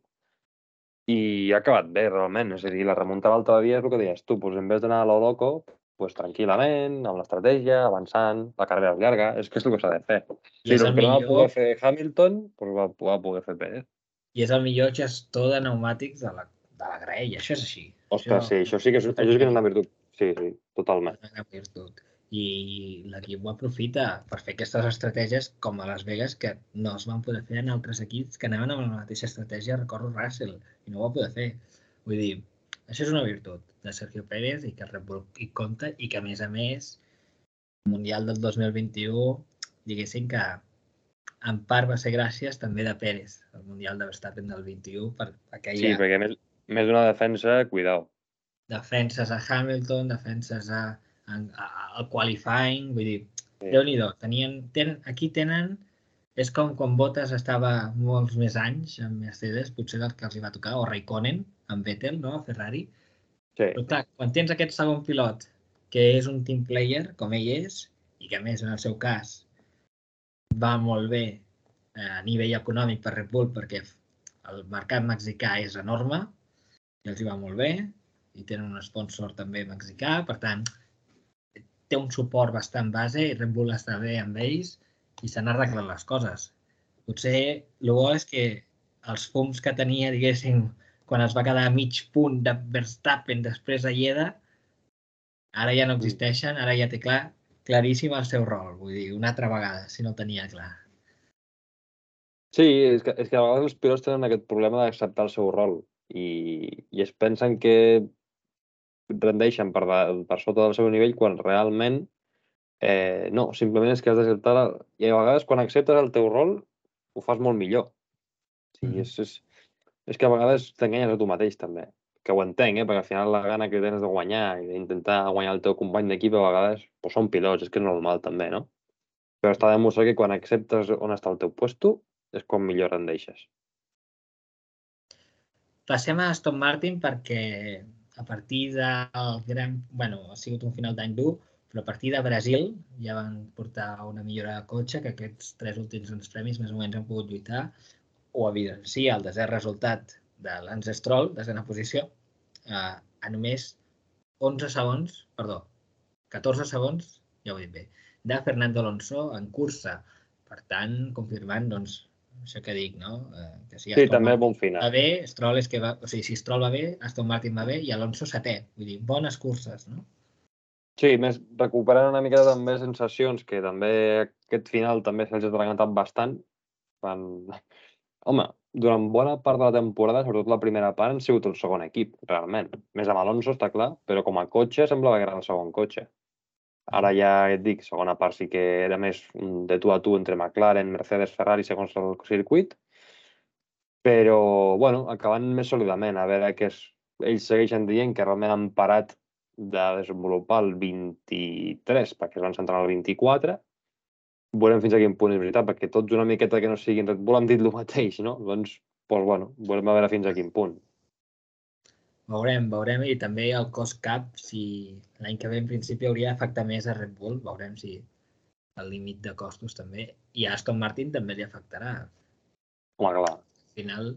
I ha acabat bé, realment. És a dir, la remuntada l'altre dia és el que deies tu, doncs en vez d'anar a lo loco, doncs tranquil·lament, amb l'estratègia, avançant, la carrera és llarga, és que és el que s'ha de fer. I és El el que no va poder millor, fer Hamilton, doncs va poder fer Pérez. gestor de pneumàtics de la graella, això és així. Ostres, sí, això sí que és una virtut. Sí, sí, totalment. És una gran virtut. I l'equip ho aprofita per fer aquestes estratègies com a Las Vegas, que no es van poder fer en altres equips que anaven amb la mateixa estratègia, recordo Russell, i no ho va poder fer. Vull dir, això és una virtut de Sergio Pérez i que el Red Bull hi compta i que, a més, el Mundial del 2021, diguéssim que en part va ser gràcies també de Pérez, el Mundial de Verstappen del 21, per Sí, aquella perquè més d'una defensa, cuidao. defenses a Hamilton, defenses al qualifying, vull dir, Sí. Déu-n'hi-do, aquí tenen, és com quan Bottas estava molts més anys amb Mercedes, potser del que els hi va tocar, o Raikkonen, amb Vettel, no?, a Ferrari. Sí. Però clar, quan tens aquest segon pilot, que és un team player, com ell és, i que a més, en el seu cas, va molt bé a nivell econòmic per Red Bull, perquè el mercat mexicà és enorme, i els hi va molt bé, i tenen un sponsor també mexicà, per tant, té un suport bastant base i Red Bull està bé amb ells i s'han arreglat les coses. Potser el bo és que els fums que tenia, diguéssim, quan es va quedar a mig punt de Verstappen després de Lleida, ara ja no existeixen, ara ja té claríssim el seu rol, vull dir, una altra vegada, si no el tenia clar. Sí, és que a vegades els pilots tenen aquest problema d'acceptar el seu rol i es pensen que rendeixen per sota del seu nivell quan realment no, simplement és que has d'acceptar... I a vegades quan acceptes el teu rol ho fas molt millor. Sí, és que a vegades t'enganyes a tu mateix també. Que ho entenc, perquè al final la gana que tens de guanyar i d'intentar guanyar el teu company d'equip a vegades doncs són pilots, és que és normal també, no? Però està demostrat que quan acceptes on està el teu puesto és quan millor rendeixes. Passem a Aston Martin perquè a partir del gran... Bueno, ha sigut un final d'any dur, però a partir de Brasil ja van portar una millora de cotxe, que aquests 3 últims grans premis més o menys han pogut lluitar, o evidencia el desè resultat de Lance Stroll, desena posició, a només 11 segons, perdó, 14 segons, ja ho he dit bé, de Fernando Alonso en cursa. Per tant, confirmant, doncs, això que dic, no? Que si Sí, Aston també Martin bon va final. bé, Stroll és que va... O sigui, si Stroll va bé, Aston Martin va bé i Alonso setè. Vull dir, bones curses, no? Sí, més recuperant una mica també sensacions, que també aquest final també se'ls ha atragantat bastant. Home, durant bona part de la temporada, sobretot la primera part, han sigut el segon equip, realment. Més amb Alonso, està clar, però com a cotxe semblava que era el segon cotxe. Ara ja et dic, segona part sí que era més de tu a tu entre McLaren, Mercedes, Ferrari, segons el circuit, però, bueno, acabant més sòlidament. A veure que ells segueixen dient que realment han parat de desenvolupar el 23 perquè es van centrar en el 24. Veurem fins a quin punt és veritat, perquè tots una miqueta que no siguin Red Bull han dit el mateix, no? Doncs, bueno, veurem a veure fins a quin punt. Veurem, i també el cost cap, si l'any que ve en principi hauria d'afectar més a Red Bull, veurem si el límit de costos també, i a Aston Martin també li afectarà. Home, clar. Al final,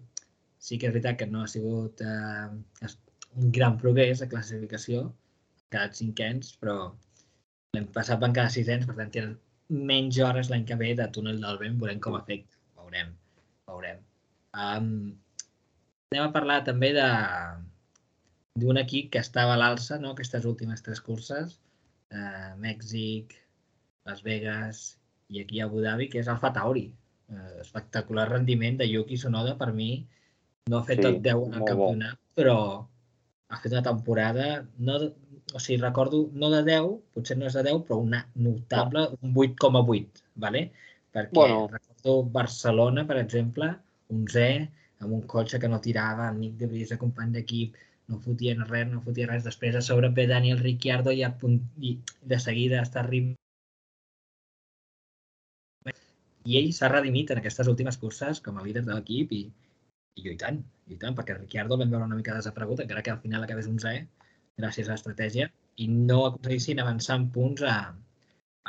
sí que és veritat que no ha sigut un gran progrés de classificació, han quedat 5ens, però l'any passat van quedar 6ens, per tant tenen menys hores l'any que ve de túnel del vent, veurem com afecta, veurem. Anem a parlar també d'un equip que estava a l'alça, no? Aquestes últimes 3 curses, Mèxic, Las Vegas i aquí a Abu Dhabi, que és Alfa Tauri. Espectacular rendiment de Yuki Tsunoda, per mi. No ha fet tot 10 en el campionat, però ha fet una temporada, o sigui, recordo, no de 10, potser no és de 10, però una notable, un 8,8, ¿vale? Perquè recordo Barcelona, per exemple, 11è, amb un cotxe que no tirava, el Nick de Vries, company d'equip, no fotien res, després a sobre ve Daniel Ricciardo i de seguida està arribant. I ell s'ha redimit en aquestes últimes curses com a líder de l'equip i lluitant, perquè Ricciardo el vam veure una mica desaparegut, encara que al final acabés 11è, gràcies a l'estratègia, i no aconseguissin avançar en punts a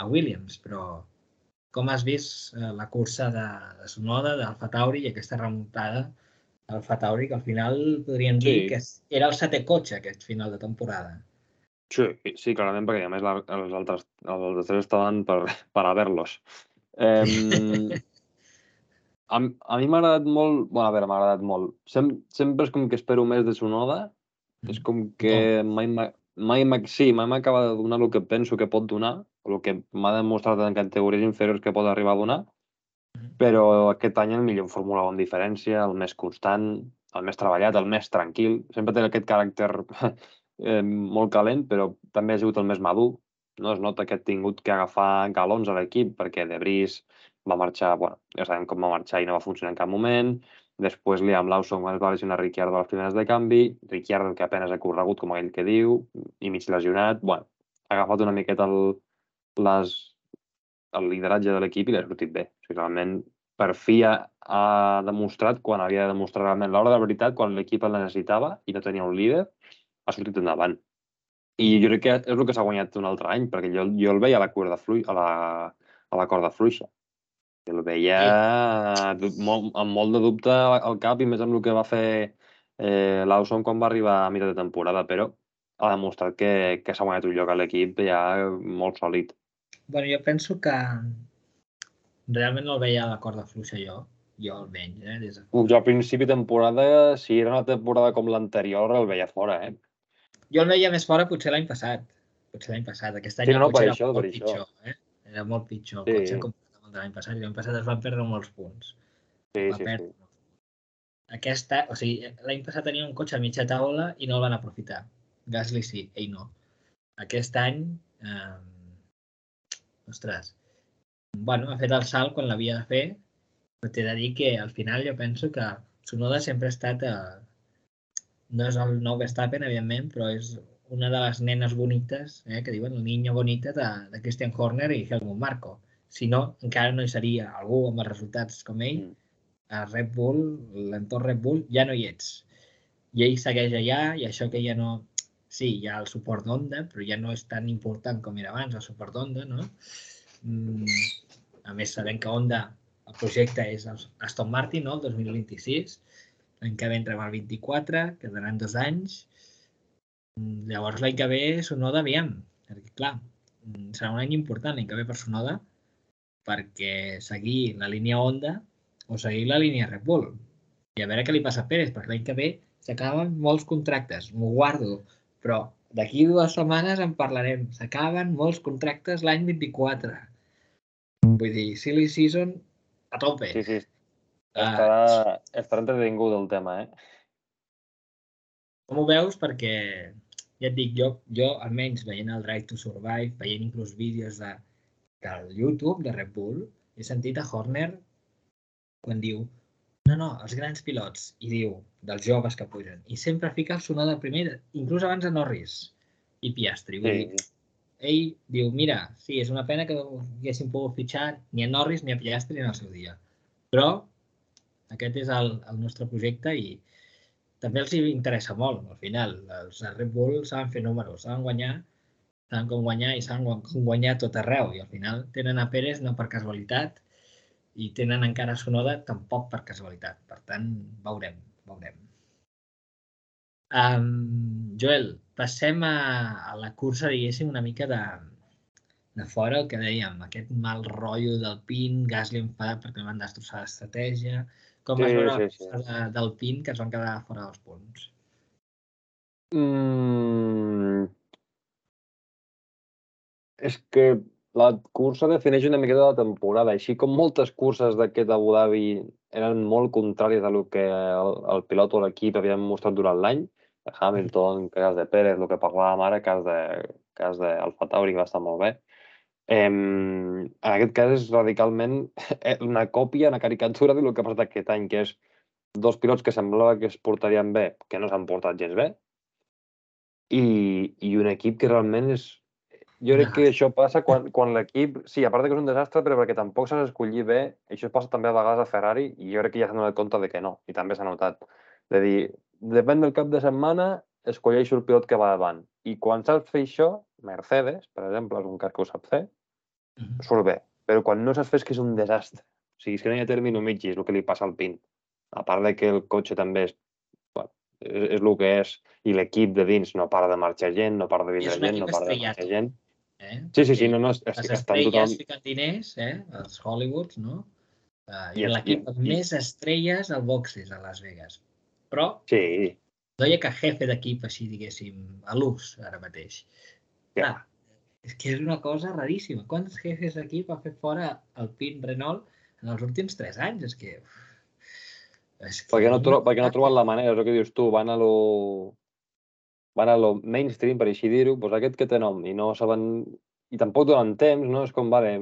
Williams, però com has vist la cursa de Tsunoda, d'Alfa Tauri, i aquesta remuntada d'Alfa Tauri, que al final podríem dir que era el 7è cotxe aquest final de temporada. Sí, clarament, perquè a més els altres tres estaven per a ver-los. A mi m'ha agradat molt... Bueno, a veure, m'ha agradat molt. Sempre és com que espero més de Tsunoda. És com que mai m'acaba de donar el que penso que pot donar, el que m'ha demostrat en categories inferiors que pot arribar a donar, però aquest any el millor en Fórmula 1 en diferència, el més constant, el més treballat, el més tranquil. Sempre té aquest caràcter molt calent, però també ha sigut el més madur. No es nota que ha tingut que agafar galons a l'equip, perquè De Vries va marxar, bueno, ja sabem com va marxar i no va funcionar en cap moment. Després Liam Lawson es va lesionar Ricciardo a les primeres de canvi, Ricciardo que apenas ha corregut, com aquell que diu, i mig lesionat. Bueno, ha agafat una miqueta el lideratge de l'equip i l'ha sortit bé. O sigui, realment, per fi ha demostrat quan havia de demostrar realment l'hora de veritat, quan l'equip el necessitava i no tenia un líder, ha sortit endavant. I jo crec que és el que s'ha guanyat un altre any, perquè jo el veia a la corda fluixa. El veia amb molt de dubte al cap i més amb el que va fer Lawson quan va arribar a mitjà de temporada, però ha demostrat que s'ha guanyat un lloc a l'equip ja molt sòlid. Bueno, jo penso que realment no el veia a la corda fluixa jo almenys. Jo al principi de temporada, si era una temporada com l'anterior, el veia fora, Jo el veia més fora potser l'any passat. Aquest any el cotxe era molt pitjor. Era molt pitjor el cotxe comparat amb l'any passat. I l'any passat es van perdre molts punts. Sí. L'any passat tenia un cotxe a mitja taula i no el van aprofitar. Gasly sí, ell no. Aquest any, ha fet el salt quan l'havia de fer, però t'he de dir que al final jo penso que Tsunoda sempre ha estat... no és el nou Verstappen, evidentment, però és una de les nenes bonites, que diuen el niño bonita de Christian Horner i Helmut Marko. Si no, encara no hi seria algú amb els resultats com ell. A Red Bull, l'entorn Red Bull, ja no hi ets. I ell segueix allà, i això que ja no... Sí, hi ha el suport d'Honda, però ja no és tan important com era abans, el suport d'Honda, no? A més, sabem que Honda, el projecte és Aston Martin, no? El 2026. L'any que ve entrem al 24, quedaran 2 anys. Llavors l'any que ve Tsunoda, aviam, perquè clar, serà un any important l'any que ve per Tsunoda, perquè seguir la línia Honda o seguir la línia Red Bull. I a veure què li passa a Pérez, perquè l'any que ve s'acaben molts contractes, m'ho guardo, però d'aquí 2 setmanes en parlarem. S'acaben molts contractes l'any 24. Vull dir, silly season a tope. Sí. Estarà entretingut el tema, Com ho veus? Perquè, ja et dic, jo almenys veient el Drive to Survive, veient inclús vídeos del YouTube de Red Bull, he sentit a Horner quan diu no, els grans pilots, i diu dels joves que pugen, i sempre fica el Tsunoda primer, inclús abans de Norris i Piastri. Vull dir, ell diu, mira, sí, és una pena que no haguéssim pogut fitxar ni a Norris ni a Piastri en el seu dia, però aquest és el nostre projecte i també els interessa molt, al final. Els Red Bull saben fer números, saben com guanyar i saben com guanyar tot arreu. I al final tenen a Pérez no per casualitat i tenen encara a Tsunoda tampoc per casualitat. Per tant, veurem. Joel, passem a la cursa, diguéssim, una mica de fora, el que dèiem, aquest mal rotllo del Pin, Gasly enfadat perquè van destrossar l'estratègia. Com vas veure la cursa del Pin, que es van quedar fora dels punts? És que la cursa defineix una miqueta la temporada, així com moltes curses d'aquest Abu Dhabi eren molt contràries a lo que el pilot o l'equip havien mostrat durant l'any. Hamilton, cas de Pérez, el que parlàvem ara, cas d'Alfa Tauri, que va estar molt bé. En aquest cas és radicalment una còpia, una caricatura del que ha passat aquest any, que és 2 pilots que semblava que es portarien bé, que no s'han portat gens bé, i un equip que realment és... Jo crec que això passa quan l'equip... Sí, a part que és un desastre, però perquè tampoc s'ha escollit bé, això passa també a vegades a Ferrari, i jo crec que ja s'han donat compte de que no, i també s'ha notat. De dir, depèn del cap de setmana, escolleixo el pilot que va davant. I quan saps fer això, Mercedes, per exemple, és un cas que ho sap fer, surt bé. però quan no saps fer és que és un desastre. O sigui, és que no hi ha término mitjà, és el que li passa al Pin. A part de que el cotxe també bueno, és el que és, i l'equip de dins no para de marxar gent, no para de I és vindre un gent, equip no para de marxar estrellato, gent. perquè Sí, no, és les que estan tothom... estrelles fiquen diners, els Hollywoods, no? I, És l'equip amb més estrelles al boxes a Las Vegas. Però sí, no hi ha cap jefe d'equip així, diguéssim, a l'ús ara mateix. Clar, és que és una cosa raríssima. Quants jefes d'equip ha fet fora el Pin Renault en els últims 3 anys? És que perquè no ha trobat la manera. manera, és el que dius tu, van a lo mainstream, per així dir-ho, doncs aquest que té nom, i no saben... I tampoc donen temps, no? És com, vale,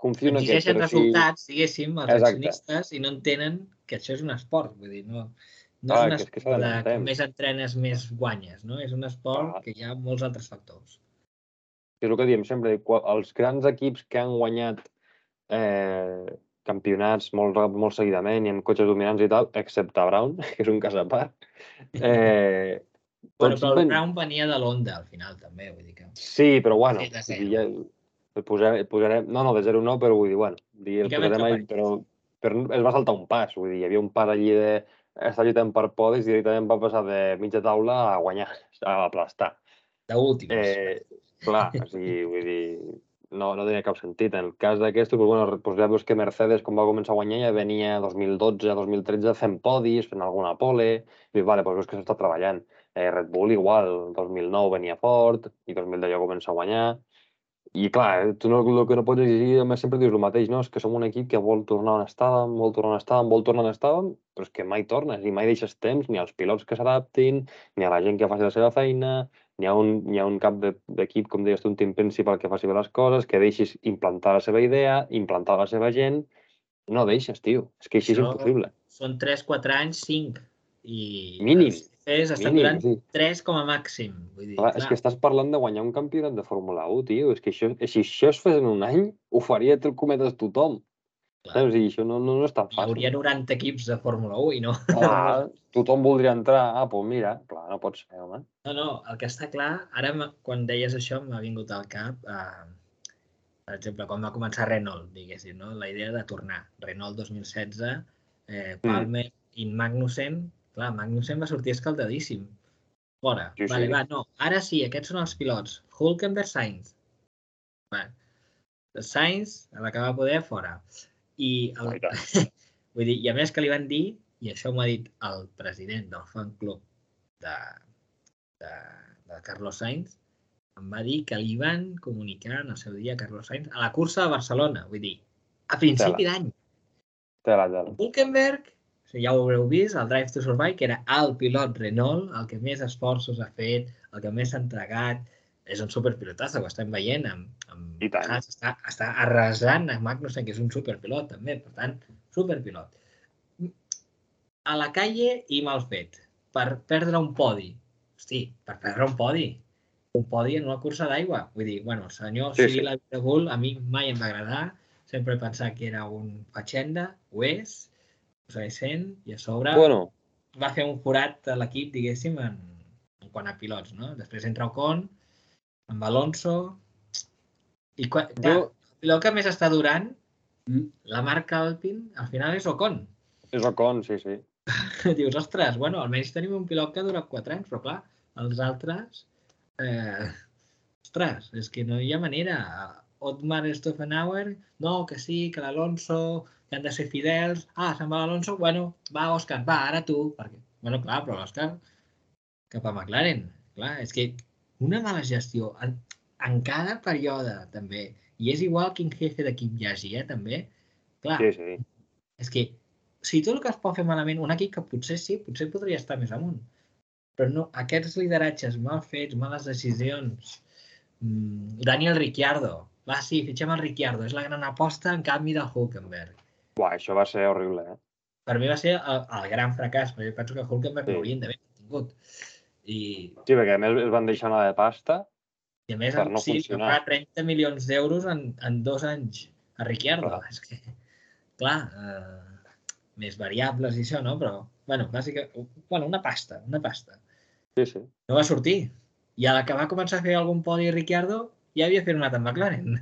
confio en aquest, Exigeixen però si... resultats, diguéssim, els Exacte. accionistes i no entenen que això és un esport. Vull dir, no és Clar, un que és que esport s'ha d'anar de amb com temps. més entrenes, més guanyes, no? És un esport Clar. que hi ha molts altres factors. És el que diem sempre, els grans equips que han guanyat campionats molt seguidament i amb cotxes dominants i tal, excepte Brown, que és un cas a part, Bueno, tots però el ben... Brown venia de l'Honda, al final, també, vull dir que... Sí, però bueno, De vull dir, zero. el posarem... No, de 0 no, però vull dir, bueno, el Fiquem posarem entre ahí, parèntesis. però es va saltar un pas, vull dir, hi havia un pas allí de estar lluitant per podis i directament va passar de mitja taula a guanyar, a aplastar. D'últims. Clar, o sigui, vull dir, no tenia cap sentit. En el cas d'aquest, doncs, bueno, doncs ja veus que Mercedes, quan va començar a guanyar, ja venia 2012, 2013 fent podis, fent alguna pole, i dius, vale, doncs veus que s'està treballant. Red Bull igual, 2009 venia fort, i 2010 ja comença a guanyar. I clar, tu no, el que no pots exigir, a més sempre dius el mateix, no? És que som un equip que vol tornar on estàvem, vol tornar on estàvem, però és que mai tornes i mai deixes temps ni als pilots que s'adaptin, ni a la gent que faci la seva feina, hi ha un cap d'equip, com deies tu, un team principal que faci bé les coses, que deixis implantar la seva idea, implantar la seva gent. No deixes, tio. És que així és Això impossible. són 3, 4 anys, 5. I Mínim, els jefes estan mínim. durant Sí. 3 com a màxim. Vull dir, Clar, és clar, que estàs parlant de guanyar un campionat de Fórmula 1, tio. És que això, si això es fes en un any, ho faria cometes tothom. clar. Saps? I això no és tan Hi fàcil. hauria 90 equips de Fórmula 1 i no. Clar, tothom voldria entrar. Ah, doncs mira, clar, no pot ser, home. No, el que està clar, ara quan deies això m'ha vingut al cap, per exemple, quan va començar Renault, diguéssim, no? La idea de tornar. Renault 2016, Palmer i Magnussen, clar, Magnussen va sortir escaldadíssim. Fora. Sí, Vale, sí. va, no. Ara sí, aquests són els pilots. Hülkenberg, Sainz. Vale. Sainz, a la que va poder, fora. Ah, i tant. Vull dir, i a més que li van dir, i això m'ho ha dit el president del fan club de, de Carlos Sainz, em va dir que li van comunicar en el seu dia a Carlos Sainz a la cursa de Barcelona, vull dir, a principi d'any. Tela. Hülkenberg, ja ho haureu vist, el Drive to Survive, que era el pilot Renault, el que més esforços ha fet, el que més s'ha entregat, és un superpilotazo, ho estem veient amb I tant. Haas, està arrasant a Magnussen, que és un superpilot també, per tant, superpilot. A la calle i mal fet, per perdre un podi. Hosti, per perdre un podi en una cursa d'aigua. Vull dir, bueno, el senyor Sí, Cyril sí. Abiteboul a mi mai em va agradar, sempre he pensat que era un fatxenda, ho és, ho segueix sent, i a sobre Bueno, va fer un forat a l'equip, diguéssim, en quant a pilots, no? Després entra Ocon, amb Alonso, i clar, jo... el pilot que més està durant, la marca Alpine, al final és Ocon. És Ocon, sí, sí. Dius, ostres, bueno, almenys tenim un pilot que dura 4 anys, però clar, els altres... ostres, és que no hi ha manera. Otmar Stoffenhauer, no, que sí, que l'Alonso, que han de ser fidels. Ah, se'n va l'Alonso, bueno, va, Òscar, va, ara tu. Perquè, bueno, clar, però l'Òscar cap a McLaren. Clar, és que una mala gestió en cada període, també. I és igual quin jefe d'equip hi hagi, també. Clar, Sí, sí. és que si tot el que es pot fer malament, un equip que potser sí, potser podria estar més amunt. Però no, aquests lideratges mal fets, males decisions... Daniel Ricciardo. Va, sí, fitxem el Ricciardo. És la gran aposta en canvi del Hülkenberg. Buah, això va ser horrible, eh? Per mi va ser el gran fracàs, perquè penso que Hülkenberg Sí. l'haurien d'haver tingut. I Sí, perquè a més es van deixar anar de pasta a més, per no sí, que funcionar. fa 30 milions d'euros en 2 anys a Ricciardo. Clar. És que, clar, més variables i això, no? Però, bueno, bàsicament, una pasta. Sí, sí. No va sortir. I a la que va començar a fer algun podi Ricciardo, ja havia firmat amb McLaren.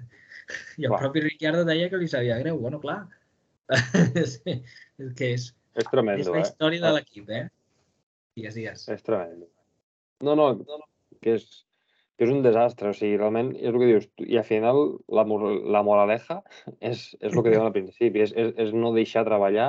I el propi Ricciardo deia que li sabia greu. Bueno, clar. És que és tremendo, la història de l'equip, Digues. És tremendo. No, que és un desastre, o sigui, realment és el que dius, i al final la moraleja és el que diuen al principi, és no deixar treballar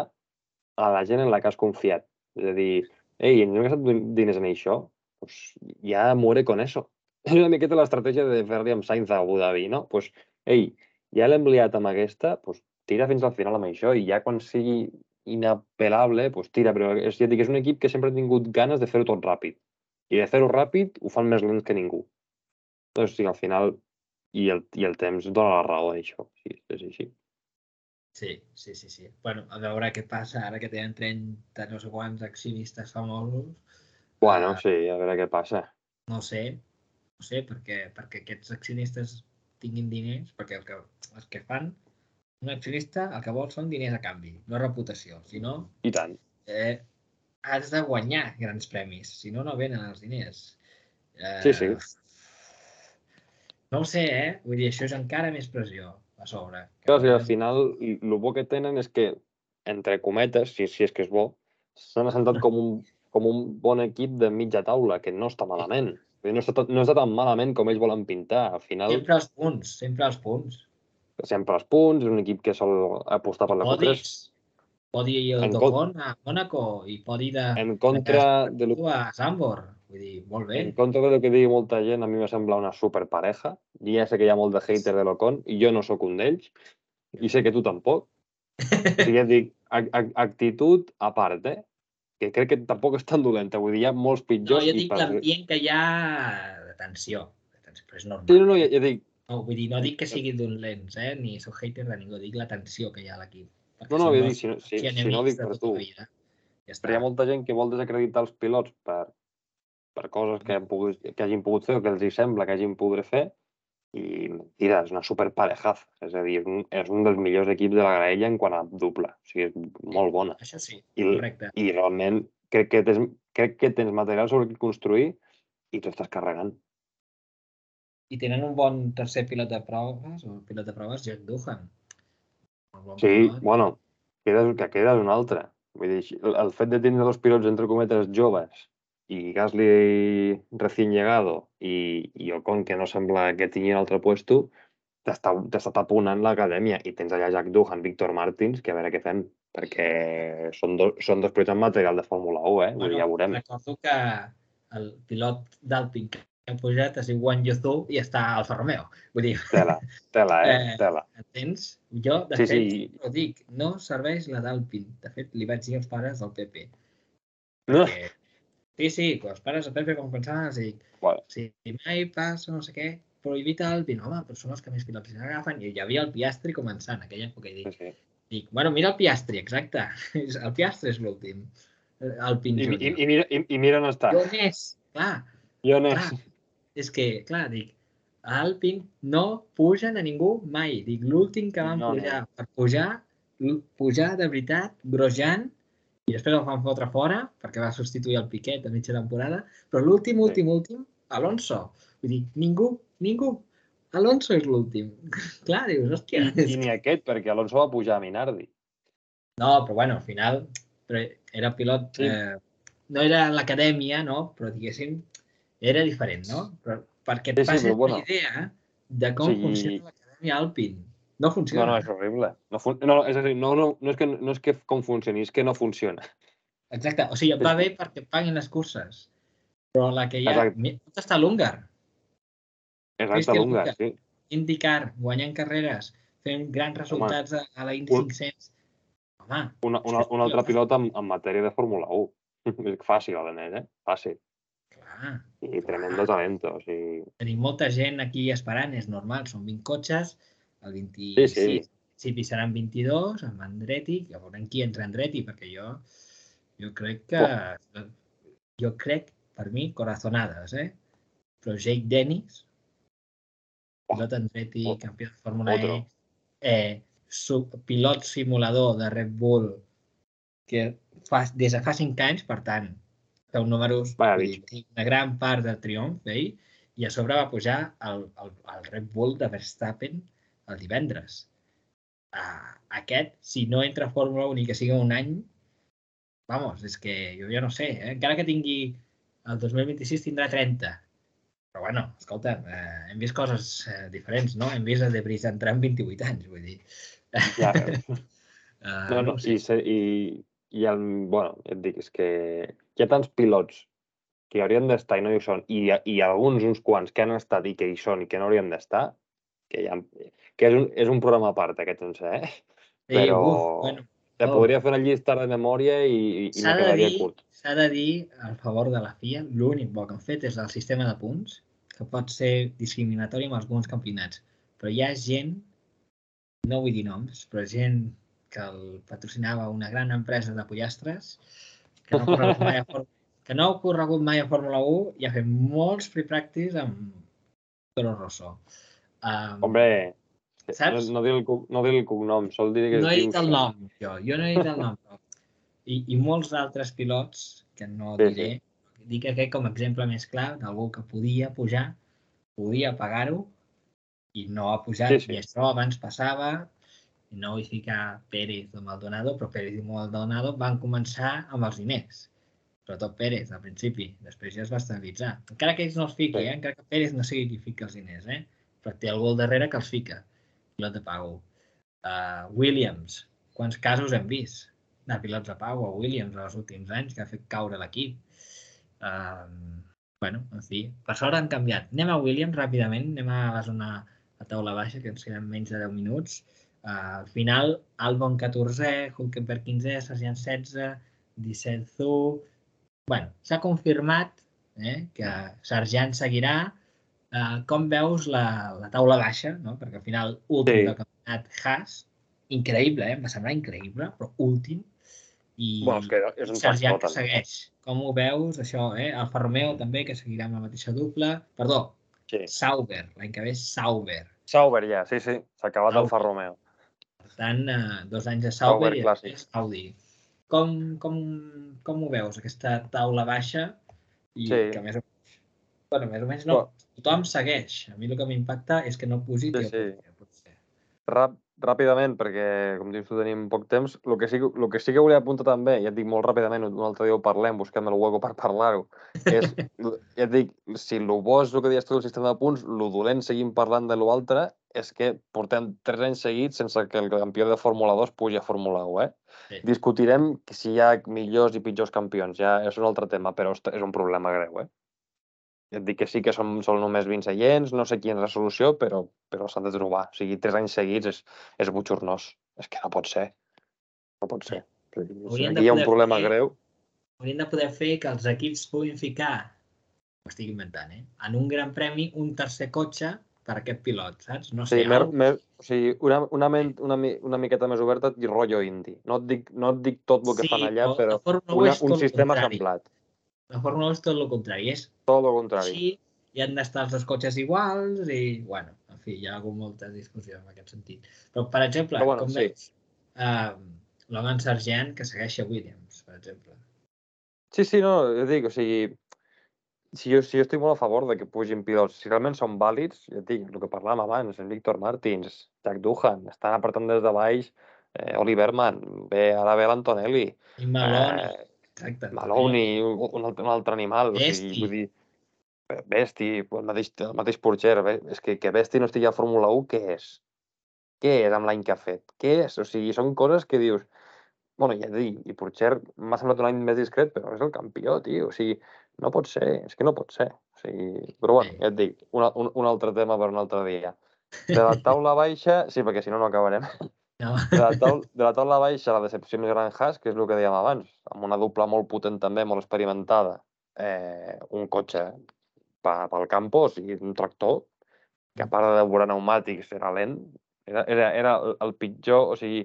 a la gent en la que has confiat. És a dir, ei, ens hem gastat diners en això, pues ja muere con eso. És una miqueta l'estratègia de Ferrari amb Sainz a Abu Dhabi, no? Pues, ei, ja l'hem liat amb aquesta, pues tira fins al final amb això i ja quan sigui inapel·lable, pues tira, però ja et dic, és un equip que sempre ha tingut ganes de fer-ho tot ràpid. I de fer-ho ràpid ho fan més lents que ningú. Doncs sí, al final, i el temps dona la raó d'això. Sí, és així. Sí. Bueno, a veure què passa ara que tenen 30 no sé quants accionistes famosos. Bueno, sí, a veure què passa. No sé, perquè aquests accionistes tinguin diners, perquè els que fan un accionista el que vol són diners a canvi, no reputació. Si no, I tant. has de guanyar grans premis, si no, no venen els diners. Sí. No ho sé, Vull dir, això és encara més pressió a sobre. Clar, si al final el bo que tenen és que, entre cometes, si és que és bo, s'han assentat com un bon equip de mitja taula, que no està malament. No està tan malament com ells volen pintar. Al final, sempre els punts. sempre els punts, és un equip que sol apostar per la Q3. Podi d'Ocon a Mónaco i podi de a Zandvoort. Vull dir, molt bé. En contra del que digui molta gent, a mi me sembla una superpareja. I ja sé que hi ha molt de hater de l'Ocon, i jo no sóc un d'ells, i sé que tu tampoc. O sigui, ja et dic, actitud a part, que crec que tampoc és tan dolenta. Vull dir, hi ha molts pitjors. No, jo dic l'ambient que hi ha de tensió. Però és normal. Sí, no, ja dic. No, vull dir, no dic que sigui dolents, ni sóc hater de ningú, dic la tensió que hi ha a l'equip. No, vull dir, si no ho dic per tu. Però hi ha molta gent que vol desacreditar els pilots per coses que hagin pogut fer o que els hi sembla que hagin pogut fer, i mentida, és una superparejaza. És a dir, és un dels millors equips de la graella en quant a doble. O sigui, és molt bona. Això sí, correcte. I realment crec que tens material sobre què construir i t'ho estàs carregant. I tenen un bon tercer pilot de proves, Jack Doohan. Sí, bueno, queda un altre. Vull dir, el fet de tenir dos pilots, entre cometes, joves, i Gasly recién llegado i Ocon, que no sembla que tingui un altre puesto, t'està taponant l'acadèmia. I tens allà Jack Doohan, Víctor Martins, que a veure què fem, perquè són dos pilots amb material de Fórmula 1, Vull dir, ja veurem. Recordo que el pilot d'Alpine que ha pujat es diu Guan Yu Zhou i està al Alfa Romeo. Vull dir... Tela. Entens? Jo, de fet, ho dic, no serveix la d'Alpine. De fet, li vaig dir als pares del Pepe. Perquè... Sí, quan els pares del Pepe com pensaven, els dic, si mai passa no sé què, prohibit Alpine, home, però són els que més pilots agafen. I hi havia el Piastri començant en aquella època i dic, bueno, mira el Piastri, exacte. El Piastri és l'últim. Alpine Junior. I mira on està. I on és? Clar. És que, clar, dic, a Alpine no pugen a ningú mai. Dic, l'últim que van pujar per pujar de veritat, Grosjean, i després el van fotre fora perquè va substituir el Piquet a mitja temporada, però l'últim, Alonso. Vull dir, ningú. Alonso és l'últim. Clar, dius, hòstia. I ni aquest, perquè Alonso va pujar a Minardi. No, però bueno, al final era pilot... No era l'acadèmia, no? Però diguéssim, era diferent, no? Però perquè et passis una idea de com funciona l'acadèmia Alpine. No funciona. No, és horrible. És a dir, no és que com funcioni, és que no funciona. Exacte. O sigui, va bé perquè paguin les curses. Però la que hi ha... Tot està a l'húngar. Exacte, a l'húngar, sí. IndyCar, guanyant carreres, fent grans resultats a la Indy 500. Home... Un altre pilot en matèria de Fórmula 1. És fàcil, a Fàcil. Clar. I tremendo talento, o sigui... Tenim molta gent aquí esperant, és normal, són 20 cotxes, el 26 principi seran 22, amb Andretti, ja veurem qui entra Andretti, perquè jo crec que... Jo crec, per mi, corazonades, Però Jake Dennis, pilot Andretti, campió de Fórmula E, pilot simulador de Red Bull, que des de fa 5 anys, per tant, feu números, una gran part del triomf, i a sobre va pujar el Red Bull de Verstappen el divendres. Aquest, si no entra a Fórmula 1 i que sigui un any, vamos, és que jo ja no sé, encara que tingui el 2026 tindrà 30. Però bueno, escolta, hem vist coses diferents, no? Hem vist a De Vries entrar amb 28 anys, vull dir. Ja, No ho sé. Bueno, ja et dic, és que hi ha tants pilots que haurien d'estar i no hi són, i alguns, uns quants, que han estat i que hi són i que no haurien d'estar, que és un programa a part, aquest sencer, Però Bueno, podria fer una llista de memòria i me quedaria curt. S'ha de dir, al favor de la FIA, l'únic bo que han fet és el sistema de punts, que pot ser discriminatori amb alguns campionats. Però hi ha gent, no vull dir noms, però gent que el patrocinava una gran empresa de pollastres, que no ha corregut mai a Fórmula 1 i ha fet molts free practice amb Toro Rosso. Hombre, Saps? no dir el cognom, sol dir que No es he diu dit el nom, jo no he dit el nom. I molts altres pilots, que no diré, dic aquest com a exemple més clar d'algú que podia pujar, podia pagar-ho i no ha pujat. I això abans passava, i no vull ficar Pérez o Maldonado, però Pérez i Maldonado van començar amb els diners. Sobretot Pérez, al principi. Després ja es va estabilitzar. Encara que ells no els fiqui, encara que Pérez no sigui qui fica els diners, però té algú al darrere que els fica. Pilot de pago. Williams, quants casos hem vist de pilots de pau a Williams en els últims anys que ha fet caure l'equip. Bueno, en fi, per sort han canviat. Anem a Williams ràpidament, anem a la zona a taula baixa, que ens queden menys de 10 minuts. Al final, Albon 14è, Hülkenberg 15è, Sargent 16è, 17 Zhou. Bueno, s'ha confirmat que Sargent seguirà. Com veus la taula baixa, no? Perquè al final, últim del campionat Haas, increïble, em va semblar increïble, però últim, i Sargent que segueix. Com ho veus, això, Alfa Romeo també, que seguirà amb la mateixa dupla. Perdó, Sauber, l'any que ve Sauber. Sauber ja, sí, s'ha acabat Alfa Romeo. Per tant, 2 anys de Sauber i després Audi. Com ho veus, aquesta taula baixa? I que més o menys no, tothom segueix. A mi el que m'impacta és que no pugi Tio Potser. Ràpidament, perquè, com dius tu, tenim poc temps. El que sí que volia apuntar també, ja et dic molt ràpidament, un altre dia ho parlem, busquem el hueco per parlar-ho, és, ja et dic, si el bo és el que deies tu del sistema de punts, el dolent seguim parlant de l'altre, és que portem 3 anys seguits sense que el campió de Fórmula 2 pugi a Fórmula 1, Sí. Discutirem si hi ha millors i pitjors campions, ja és un altre tema, però és un problema greu, Ja et dic que sí que són només 20 seients, no sé quina és la solució, però s'han de trobar. O sigui, 3 anys seguits és botxornós. És que no pot ser. No pot ser. Aquí hi ha un problema greu. Haurien de poder fer que els equips puguin ficar, ho estic inventant, en un gran premi un tercer cotxe per aquest pilot, saps? No sé, una miqueta més oberta i rotllo indi. No et dic tot el que fan allà, però un sistema semblat. La Fórmula 1 és tot el contrari. És tot el contrari. Així hi han d'estar els dos cotxes iguals i, bueno, en fi, hi ha hagut molta discussió en aquest sentit. Però, per exemple, com veus, Logan Sargent que segueix a Williams, per exemple. Sí, no, jo dic, o sigui, si jo estic molt a favor de que pugin pilots, si realment són vàlids, ja et dic, el que parlàvem abans, en Víctor Martins, Jack Doohan, estan apretant des de baix, Oliver Mann, ara ve l'Antonelli. I Maloney. Exacte. Maloney, un altre animal. O sigui, vull dir, Vesti, el mateix Pourchaire. És que Vesti no estigui a Fórmula 1, què és? Què és amb l'any que ha fet? Què és? O sigui, són coses que dius... Bueno, ja et dic, i Pourchaire m'ha semblat un any més discret, però és el campió, tio. O sigui, no pot ser, és que no pot ser. O sigui, però bueno, ja et dic, un altre tema per un altre dia. De la taula baixa, sí, perquè si no, no acabarem. No. De la taula baixa, la decepció més gran Haas, que és el que dèiem abans, amb una dupla molt potent també, molt experimentada, un cotxe pel campo, o sigui, un tractor, que a part de devorar pneumàtics era lent, era el pitjor, o sigui,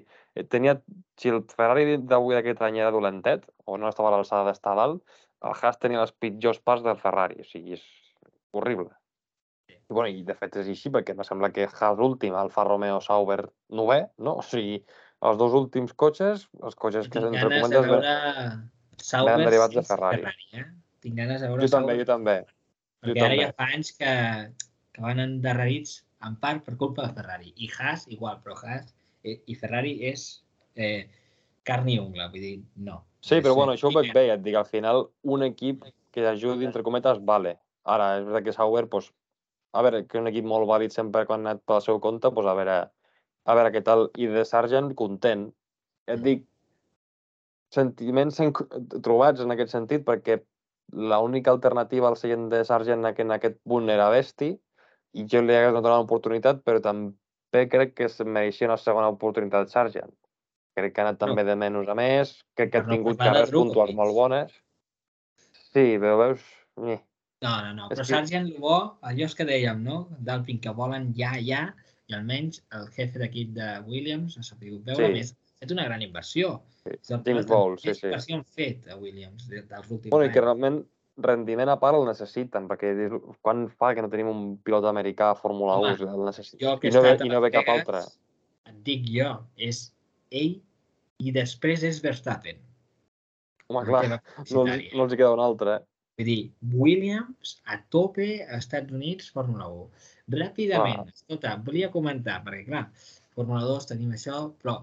si el Ferrari d'avui d'aquest any era dolentet, o no estava a l'alçada d'estar dalt, el Haas tenia les pitjors parts del Ferrari, o sigui, és horrible. I de fet és així, perquè em sembla que Haas últim, Alfa Romeo, Sauber, 9è, no? O sigui, els dos últims cotxes, els cotxes que entre cometes venen derivats de Ferrari. Tinc ganes de veure Jo també. Perquè ara ja fa anys que van endarrerits en part per culpa de Ferrari. I Haas, igual, però Haas i Ferrari és carn i ungla, vull dir, no. Sí, però bueno, això ho veig bé, et dic, al final un equip que ajudi, entre cometes, vale. Ara, és veritat que Sauber, doncs, a veure, que és un equip molt vàlid sempre quan ha anat pel seu compte, doncs a veure què tal. I de Sargent, content. Et dic, sentiments trobats en aquest sentit, perquè l'única alternativa al seient de Sargent en aquest punt era Vesti, i jo li hagués donat una oportunitat, però també crec que es mereixia una segona oportunitat Sargent. Crec que ha anat també de menys a més, crec que ha tingut carreres puntuals molt bones. Sí, però veus... No, però Sargent, el bo, allò és que dèiem, no? D'Alpine, que volen ja, i almenys el jefe d'equip de Williams ha sabut veure més. Ha fet una gran inversió. James Bowles, sí. Inversió han fet a Williams dels últims anys. I que realment rendiment a part el necessiten, perquè quan fa que no tenim un pilot americà a Fórmula 1, el necessiten. I no ve cap altre. Et dic jo, és ell i després és Verstappen. Home, clar, no els hi queda un altre. Vull dir, Williams a tope a Estats Units, Fórmula 1. Ràpidament, escolta, volia comentar, perquè clar, Fórmula 2 tenim això, però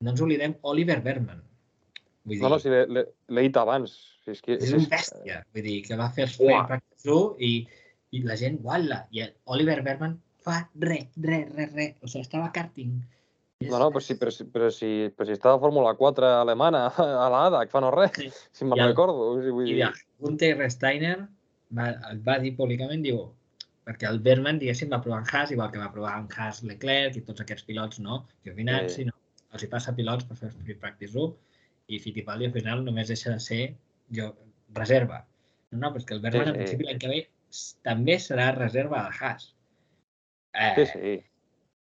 no ens oblidem Oliver Bergman. Vull dir, no, si l'he dit abans. És un bèstia, vull dir, que va fer el Practice 1 i la gent, uala, i Oliver Bergman fa res. O sigui, estava karting. No, però si estava a Fórmula 4 alemana, a l'ADA, que fa no res, si me'n recordo. I Gunther Steiner va dir públicament, diu, perquè el Bergman, diguéssim, va provar en Haas, igual que va provar en Haas Leclerc i tots aquests pilots, no? Giovinazzi, no? Els hi passa pilots per fer Free Practice 1 i Fittipaldi al final només deixa de ser reserva. No, però és que el Bergman al principi l'any que ve també serà reserva de Haas. Sí.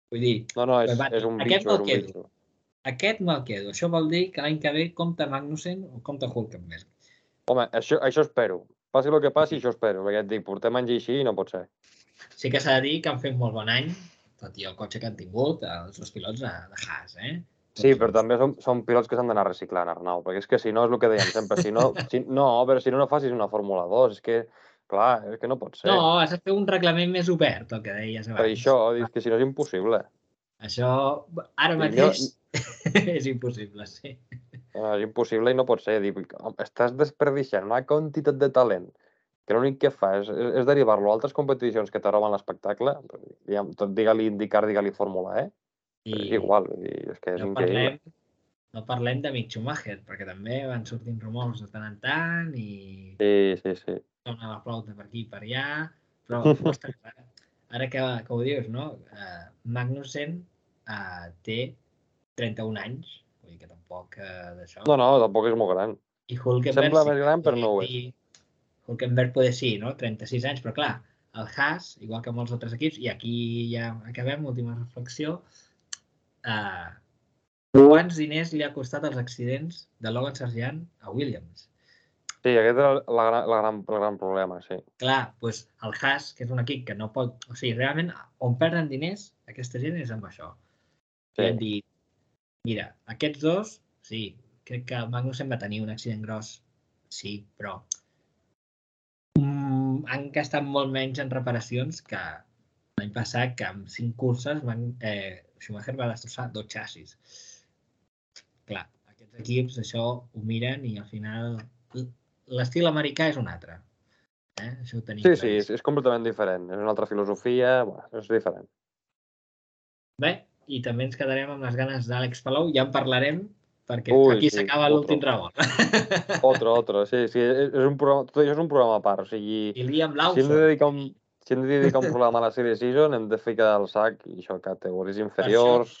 Vull dir... No, és un bitxo. Aquest me'l quedo. Això vol dir que l'any que ve compta Magnussen o compta Hülkenberg. Home, això espero. Passi el que passi, això espero. Perquè et dic, portem anys així i no pot ser. Sí que s'ha de dir que han fet molt bon any, tot i el cotxe que han tingut, els dos pilots de Haas, Sí, però també són pilots que s'han d'anar reciclant, Arnau, perquè és que si no, és el que dèiem sempre, però si no facis una Fórmula 2, és que, clar, és que no pot ser. No, has de fer un reglament més obert, el que deies abans. Per això, és que si no és impossible. Això, ara mateix, és impossible, sí. És impossible i no pot ser. Estàs desperdiciant una quantitat de talent que l'únic que fa és derivar-lo a altres competicions que t'arroben l'espectacle, tot digue-li IndyCar, digue-li Fórmula E, és igual, és que és increïble. No parlem de Mick Schumacher, perquè també van sortint rumors de tant en tant i... Sí. Dona la flauta per aquí i per allà, però ostres, ara que ho dius, no? Magnussen té 31 anys, vull dir que tampoc d'això... No, tampoc és molt gran. I Hülkenberg... Sembla més gran, però no ho és. Hülkenberg poder sí, no? 36 anys, però clar, el Haas, igual que molts altres equips, i aquí ja acabem, última reflexió, quants diners li ha costat els accidents de Logan Sargeant a Williams? Sí, aquest és el gran problema, sí. Clar, doncs el Haas, que és un equip que no pot... O sigui, realment, on perden diners, aquesta gent és amb això. I han dit, mira, aquests dos, sí, crec que Magnussen va tenir un accident gros, sí, però han gastat molt menys en reparacions que l'any passat, que amb 5 curses Schumacher va destrossar 2 xassis. Clar, aquests equips això ho miren i al final l'estil americà és un altre. Això ho tenim sí, és completament diferent. És una altra filosofia, és diferent. Bé, i també ens quedarem amb les ganes d'Àlex Palou, ja en parlarem, perquè aquí s'acaba l'últim revolt. Otro, sí, és un programa, tot això és un programa a part, o sigui, si hem de dedicar un programa a la Series Season, hem de ficar el sac, i això, categories inferiors...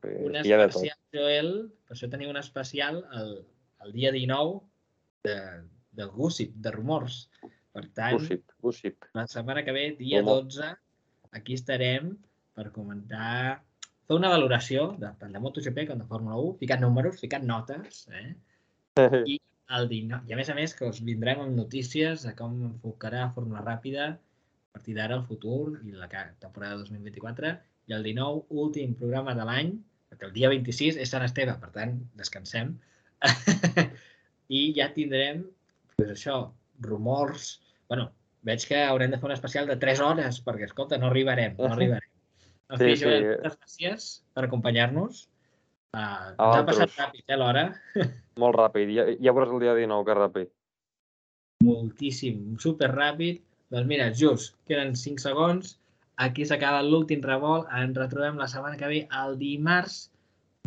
Per això tenim un especial, Joel, per això tenim un especial el dia 19 del Gossip, de rumors. Per tant, Gossip. La setmana que ve, dia 12, aquí estarem per comentar, fer una valoració tant de MotoGP com de Fórmula 1, ficant números, ficant notes, i el 19. I a més que us vindrem amb notícies de com enfocarà Fórmula Ràpida a partir d'ara el futur i la temporada 2024. I el 19, últim programa de l'any, perquè el dia 26 és Sant Esteve, per tant, descansem. I ja tindrem, doncs això, rumors, veig que haurem de fer un especial de 3 hores, perquè, escolta, no arribarem. En fi, Sí, Joel, moltes gràcies per acompanyar-nos. a Ens ha passat vosaltres. ràpid, l'hora. Molt ràpid. Ja veuràs el dia 19, que ràpid. Moltíssim, super ràpid. Doncs mira, just, queden 5 segons. Aquí s'acaba l'últim revolt. Ens retrobem la setmana que ve, el dimarts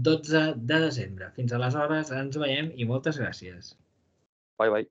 12 de desembre. Fins aleshores, ens veiem i moltes gràcies. Bye, bye.